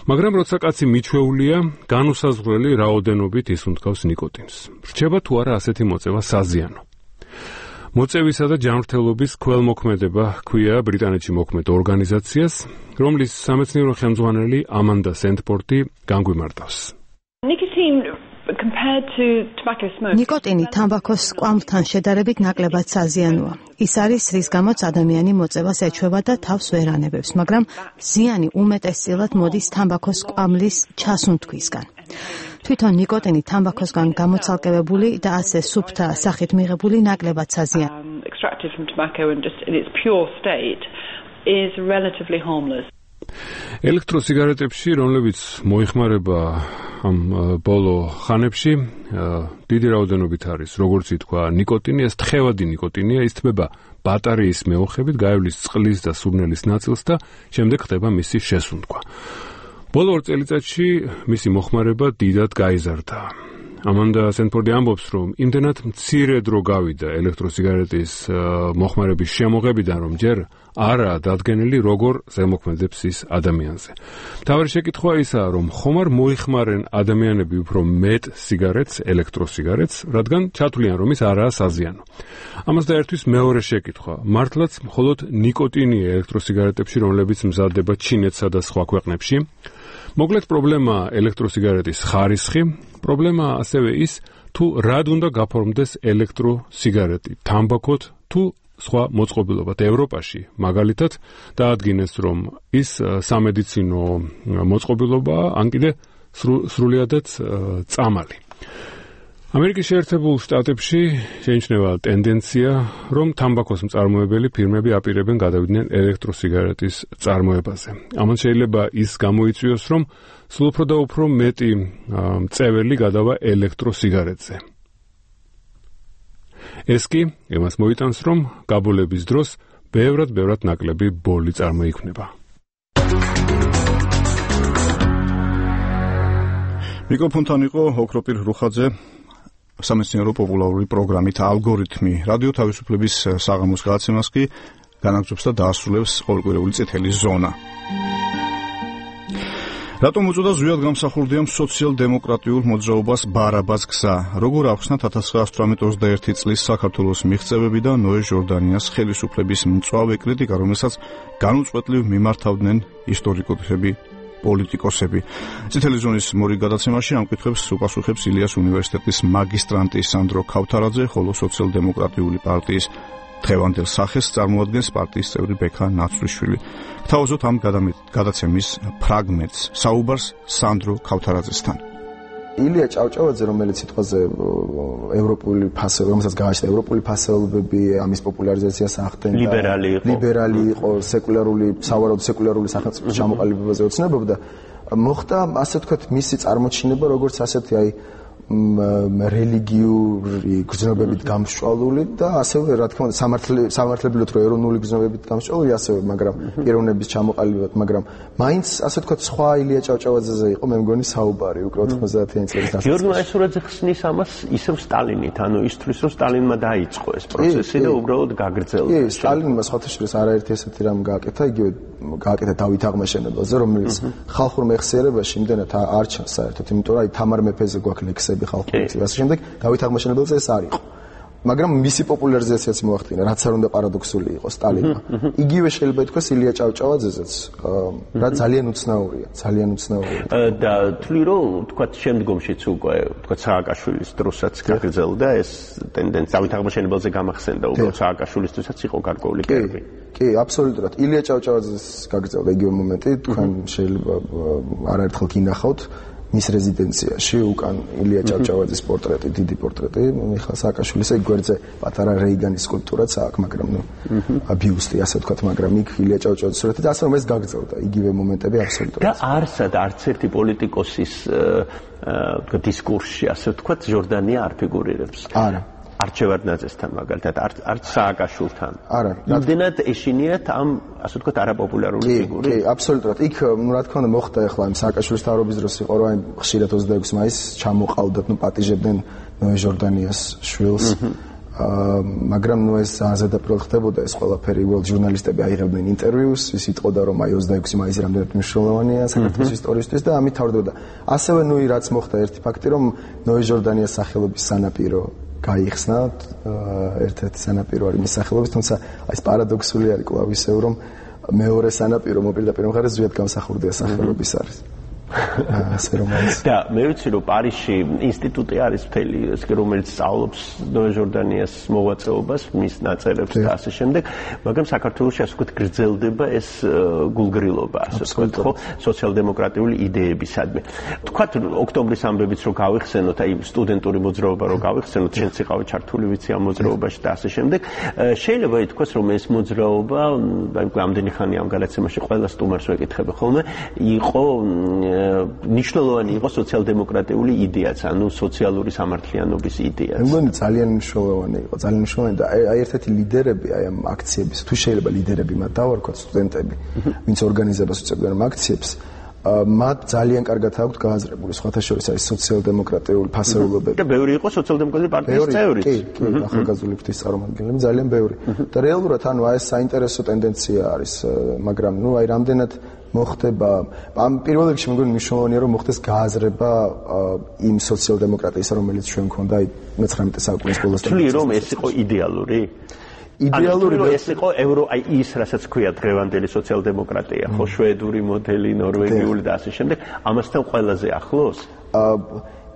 მაგრამ როცა კაცი მიჩვეულია, განუსაზღვრელი რაოდენობით ისუნთქავს ნიკოტინს. რჩება თუ არა ასეთი მოწევა საზიანო. მოწევისა და ჯანმრთელობის ქველმოქმედება ჰქვია ბრიტანეთში მოქმედ ორგანიზაციას, რომლის სამეცნიერო ხელმძღვანელი ამანდა სენტფორდი განგვიმარტავს. ნიკოტინი თამბაქოს კვამლთან შედარებით ნაკლებად საზიანოა. ის არის, რის გამოც ადამიანი მოწევას ეჩვევა და თავს ვერ ანებებს, მაგრამ ზიანი უმეტესწილად მოდის თამბაქოს კვამლის ჩასუნთქვისგან. თვითონ ნიკოტინი თამბაქოსგან გამოცალკევებული და ასე სუფთა სახით მიღებული ნაკლებად საზიანოა. ელექტროსიგარეტებში, რომლებიც მოიხმარება ამ ბოლო ხანებში, დიდი რაოდენობით არის, როგორც ითქვა, ნიკოტინი, ეს თხევადი ნიკოტინია, ის თბება ბატარეის მეოხებით, გაივლის წყლის და სურნელის ნაწილს და შემდეგ ხდება მისი შესუნთქვა. ბოლო ორ წელიწადში მისი მოხმარება დიდად გაიზარდა. ამანდა სენტფორდი ამბობს, რომ იმდენად მცირე დრო გავიდა ელექტროსიგარეტის მოხმარების შემოღებიდან, რომ ჯერ არაა დადგენილი, როგორ ზემოქმედებს ის ადამიანზე. მთავარი შეკითხვა ისაა, რომ ხომ არ მოიხმარენ ადამიანები უფრო მეტ სიგარეტს, ელექტროსიგარეტს, რადგან ჩათვლიან, რომ ის არაა საზიანო. ამას დაერთვის მეორე შეკითხვა. მართლაც მხოლოდ ნიკოტინია ელექტროსიგარეტებში, რომლებიც მზადდება ჩინეთსა და სხვა ქვეყნებში? მოკლედ პრობლემაა ელექტროსიგარეტის ხარისხი, პრობლემაა ასევე ის, თუ რად უნდა გაფორმდეს ელექტროსიგარეტი, თამბაქოთ თუ სხვა მოწყობილობად. ევროპაში მაგალითად დაადგინეს, რომ ის სამედიცინო მოწყობილობაა, ან კიდე სრულიადაც წამალი. ამერიკის შეერთებულ შტატებში შეიმჩნევა ტენდენცია, რომ თამბაქოს მწარმოებელი ფირმები აპირებენ გადავიდნენ ელექტროსიგარეტის წარმოებაზე. ამან შეიძლება ის გამოიწვიოს, რომ სულ უფრო და უფრო მეტი მწეველი გადავა ელექტროსიგარეტზე. ეს კი იმას მოიტანს, რომ გაბოლების დროს ბევრად-ბევრად ნაკლები ბოლი წარმოიქმნება. მიკროფონთან იყო ოქროპირ რუხაძე, სამეცნიერო პოპულარული პროგრამით ალგორითმი. რადიო თავისუფლების საღამოს გადაცემას კი განაგრძობს და დაასრულებს ყოველკვირეული წითელი ზონა. რატომ უწოდა ზვიად გამსახურდიამ სოციალ-დემოკრატიულ მოძრაობას ბარაბას გზა? როგორ ახსნათ ათას ცხრაასი ოცდაერთი წლის საქართველოს მიღწევები და ნოე ჟორდანიას ხელისუფლების მწვავე კრიტიკა, რომელსაც განუწყვეტლივ მიმართავდნენ ისტორიკოსები, პოლიტიკოსები. წითელი ზონის მორიგ გადაცემაში ამ კითხვებს უპასუხებს ილიას უნივერსიტეტის მაგისტრანტი სანდრო ქავთარაძე, ხოლო სოციალ-დემოკრატიული პარტიის დღევანდელ სახეს წარმოადგენს პარტიის წევრი ბექა ნაცვლიშვილი. გთავაზობთ ამ გადაცემის ფრაგმენტს, საუბარს სანდრო ქავთარაძესთან. ილია ჭავჭავაძე, რომელიც სიტყვაზე ევროპული ფასეულობები, რომელსაც გააჩნდა ევროპული ფასეულობები, ამის პოპულარიზაციას ახდენდა. ლიბერალი იყო. ლიბერალი იყო, სეკულარული, სავარაუდო სეკულარული სახელმწიფოს ჩამოყალიბებაზე ოცნებობდა. მოხდა, ასე ვთქვათ, მისი წარმოჩინება, როგორც ასეთი აი რელიგიური გრძნობებით გამსჭვალული და ასევე რა თქმა უნდა სამართლებრივად რო ეროვნული გრძნობებით გამსჭვალული ასევე, მაგრამ პიროვნების ჩამოყალიბებად, მაგრამ მაინც ასე ვთქვათ სხვა ილია ჭავჭავაძეზე იყო მე მგონი საუბარი უკვე ოთხმოცდაათიანი წლების დასაწყისში. გიორგი მაისურაძე ხსნის ამას ისევ სტალინით, ანუ ის თვლის რომ სტალინმა დაიწყო ეს პროცესი და უბრალოდ გაგრძელდა. კი, სტალინმა სხვათა შორის არაერთი ესეთი რამ გააკეთა, იგივე გააკეთა დავით აღმაშენებელზე, რომელიც ხალხურ მეხსიერებაში იმდენად არ ჩანს საერთოდ, იმიტომ რომ აი თამარ მეფეზე გვაქვს ლექსები ხალხური და ასე შემდეგ, დავით აღმაშენებელზე ეს არ იყო. მაგრამ მისი პოპულარიზაციაც მოახდინა, რაც არ უნდა პარადოქსული იყოს სტალინმა. იგივე შეიძლება ითქვას ილია ჭავჭავაძეზეც, რა ძალიან უცნაურია, ძალიან უცნაურია. და თვლი რომ თქვა შემდგომშიც უკვე თქვა სააკაშვილის დროსაც გაგრძელდა ეს ტენდენცია, დავით აღმაშენებელზე გამახსენდა უბრალოდ სააკაშვილისთვისაც იყო გარკვეული კერპი. კი, აბსოლუტურად. ილია ჭავჭავაძეს გაგრძელდა იგივე მომენტი, თქვენ შეიძლება არაერთხელ გინახავთ მის რეზიდენციაში უკან ილია ჭავჭავაძის პორტრეტი, დიდი პორტრეტი, მიხაილ სააკაშვილისა, იქ გვერდზე პატარა რეიგანის სკულპტურაც აქვს, მაგრამ ნუ ბიუსტი ასე ვთქვათ, მაგრამ იქ ილია ჭავჭავაძის სურათი და ასე რომ ეს გაგრძელდა იგივე მომენტები აბსოლუტურად. და არსად არც ერთი პოლიტიკოსის აა დისკურსში ასე ვთქვათ, ჟორდანია არ ფიგურირებს. არა. არჩევადნაძესთან მაგალითად, არც სააკაშვილთან. არა. იმდენად ეშინიათ ამ ასე ვთქვათ არაპოპულარული ფიგური. კი, აბსოლუტურად. იქ ნუ რა თქმა უნდა მოხდა ახლა იმ სააკაშვილის თავრობის დროს იყო რომ აი ხშირად ოცდაექვსი მაისს ჩამოყალდათ, ნუ პატიჟებდნენ ნოე ჟორდანიას შვილს. აა მაგრამ ნუ ეს ზედაპირულად ხდებოდა ეს ყველაფერი, უბრალოდ ჟურნალისტები აიღებდნენ ინტერვიუს, ის იტყოდა რომ აი ოცდაექვსი მაისი რამდენად მნიშვნელოვანია საქართველოს ისტორიისთვის და ამით თავდებოდა. ასევე ნუ რაც მოხდა ერთი ფაქტი რომ ნოე ჟორდანიას სახელობის სანაპირო გაიხსნა, ერთ-ერთი სანაპირო არის მის სახელობის, თუმცა აი ეს პარადოქსული არის კვლავ ისევ რომ მეორე სანაპირო მოპირდაპირ მხარეს ზუსტად გამსახურდია სახელობის არის. ასე რომ არის. და მე ვიცი რომ პარიზში ინსტიტუტი არის მთელი, რომელიც სწავლობს ნოე ჟორდანიას მოღვაწეობას, მის ნაწერებს და ასე შემდეგ, მაგრამ საქართველოში ასე ვთქვათ გრძელდება ეს გულგრილობა, ასე ვთქვათ, ხო, სოციალ-დემოკრატიული იდეებისადმი. თქვათ ოქტომბრის ამბებიც რო გავიხსენოთ, აი სტუდენტური მოძრაობა რო გავიხსენოთ, შენც იყავი ჩართული ვიცი ამ მოძრაობაში და ასე შემდეგ, შეიძლება ითქვას რომ ეს მოძრაობა, აი ამდენი ხანი ამ განაცემაში ყველა სტუმარს ვეკითხები ხოლმე, იყო ნიშნულოვანი იყო სოციალ-დემოკრატიული იდეაც, ანუ სოციალური სამართლიანობის იდეაც. მე მგონი ძალიან მნიშვნელოვანი იყო, ძალიან მნიშვნელოვანი და აი ერთ-ერთი ლიდერები აი ამ აქციების, თუ შეიძლება ლიდერები მათ დავარქვათ, სტუდენტები, ვინც ორგანიზებას უწევდნენ ამ აქციებს, მათ ძალიან კარგად აქვთ გააზრებული სხვათა შორის არის სოციალ-დემოკრატიული ფასეულობები. და ბევრი იყო სოციალ-დემოკრატიული პარტიის წევრიც. კი, კი, ახალგაზრდული ფრთის წარმომადგენლები ძალიან ბევრი. და რეალურად ანუ აი ეს საინტერესო ტენდენცია არის, მაგრამ ნუ აი რამდენად მოხდება ამ პირველ რიგში მეგონი მნიშვნელოვანია რომ მოხდეს გააზრება იმ სოციალ-დემოკრატიისა რომელიც ჩვენ მქონდა აი მეცხრამეტე საუკუნის ბოლოს. თვლი რომ ეს იყო იდეალური? იდეალური ეს იყო ევრო აი ის რასაც ქვია დღევანდელი სოციალ-დემოკრატია, ხო, შვედური მოდელი, ნორვეგიული და ასე შემდეგ, ამასთან ყველაზე ახლოს?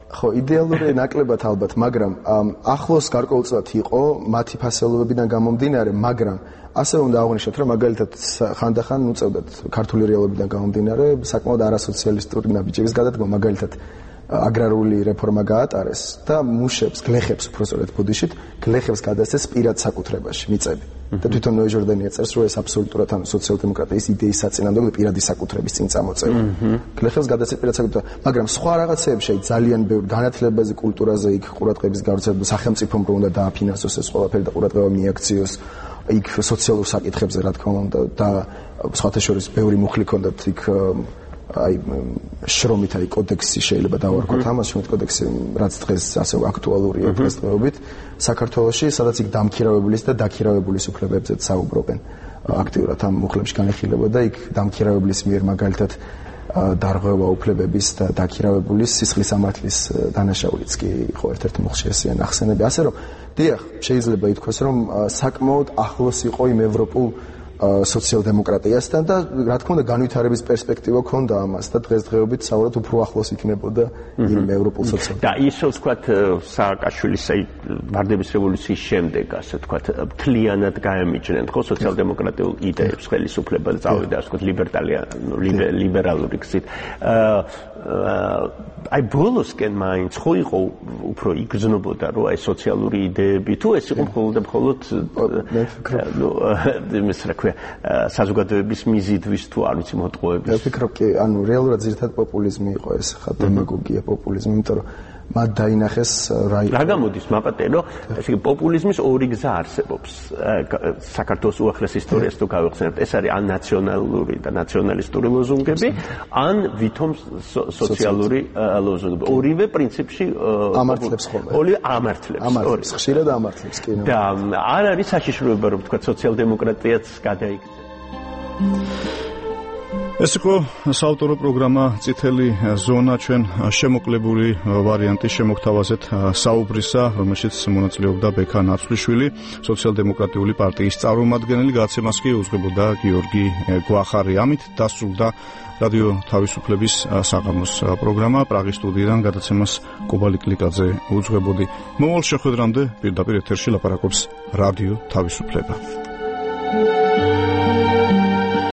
ხო, იდეალური ნაკლებად ალბათ, მაგრამ ახლოს გარკვეულწილად იყო მათი ფასეულობებიდან გამომდინარე, მაგრამ ასე უნდა აღვნიშნოთ, რომ მაგალითად ხანდახან უწევდათ ქართული რეალობიდან გამომდინარე საკმაოდ არასოციალისტური ნაბიჯების გადადგმა, მაგალითად აგრარული რეფორმა გაატარეს და მუშებს, გლეხებს უბრალოდ ბუდიშით, გლეხებს გადასცეს პირად საკუთრებაში მიწები. და თვითონ ნოე ჟორდანია წერს, რომ ეს აბსოლუტურად ანუ სოციალ-დემოკრატიის იდეის საწინააღმდეგო პირადი საკუთრების წინ წამოწევა. გლეხებს გადასცეს პირად საკუთრება, მაგრამ სხვა რაღაცეებში ძალიან ბევრი განათლებაზე, კულტურაზე იქ ყურადღების გავრცელება, სახელმწიფომ რო უნდა დააფინანსოს ეს ყველაფერი და ყურადღება მიაქციოს იქ სოციალურ საკითხებზე რა თქმა უნდა და სხვათა შორის ბევრი მუხლი ჰქონდათ იქ აი შრომით აი კოდექსი შეიძლება დავარქვათ ამას შრომით კოდექსი რაც დღეს ასე აქტუალურია დღესდღეობით საქართველოში სადაც იქ დამქირავებულის და დაქირავებულის უფლებებზეც საუბრობენ აქტიურად ამ მუხლებში განხილება და იქ დამქირავებულის მიერ მაგალითად დარღვევა უფლებების და დაქირავებულის სისხლის სამართლის დანაშაულიც კი იყო ერთ-ერთი მუხლში ესეა ნახსენები ასე რომ დიახ შეიძლება ითქვას რომ საკმაოდ ახლოს იყო იმ ევროპულ სოციალ-დემოკრატიასთან და რა თქმა უნდა განვითარების პერსპექტივა ჰქონდა ამას და დღესდღეობით საუბრობთ უფრო ახლოს იქნებოდა იმ ევროპულ სოციალ. და ისე ვთქვათ სააკაშვილის აი ვარდების რევოლუციის შემდეგ ასე ვთქვათ მთლიანად გაემიჯნენ ხო სოციალ-დემოკრატიულ იდეებს ხელისუფლება წავიდა ასე ვთქვათ ლიბერტალიან ლიბერალური გზით. აი ბოლოსკენ მაინც ხო იყო უფრო იგრძნობოდა რომ აი სოციალური იდეები თუ ეს იყო მხოლოდ და მხოლოდ ნუ იმის რა ქვია საზოგადოების მიზიდვის თუ არ ვიცი მოტყუების. მე ვფიქრობ კი ანუ რეალურად ძირითადად პოპულიზმი იყო ეს ხა დემაგოგია პოპულიზმი იმიტომ რომ მათ დაინახეს რა რა გამოდის მაპატერო ესე იგი პოპულიზმის ორი გზა არსებობს საქართველოს უახლეს ისტორიას თუ გავიხსენებთ ეს არის ან ნაციონალური და ნაციონალისტური ლოზუნგები ან ვითომ სოციალური ლოზუნგები ორივე პრინციპში ამართლებს ხოლმე ორივე ამართლებს ამართლებს ხშირად ამართლებს კი და არ არის საშიშროება რომ თქვა სოციალ-დემოკრატიაც გადაიქცა ეს იყო საავტორო პროგრამა წითელი ზონა ჩვენ შემოკლებული ვარიანტის შემოგთავაზეთ საუბრისა რომელშიც მონაწილეობდა ბექა ნაცვლიშვილი სოციალ-დემოკრატიული პარტიის წარმომადგენელი გადაცემას კი უძღვებოდა გიორგი გვახარი ამით დასრულდა რადიო თავისუფლების საღამოს პროგრამა პრაღის სტუდიიდან გადაცემას კობა ლიკლიკაძე უძღვებოდი მომავალ შეხვედრამდე პირდაპირ ეთერში ლაპარაკობს რადიო თავისუფლება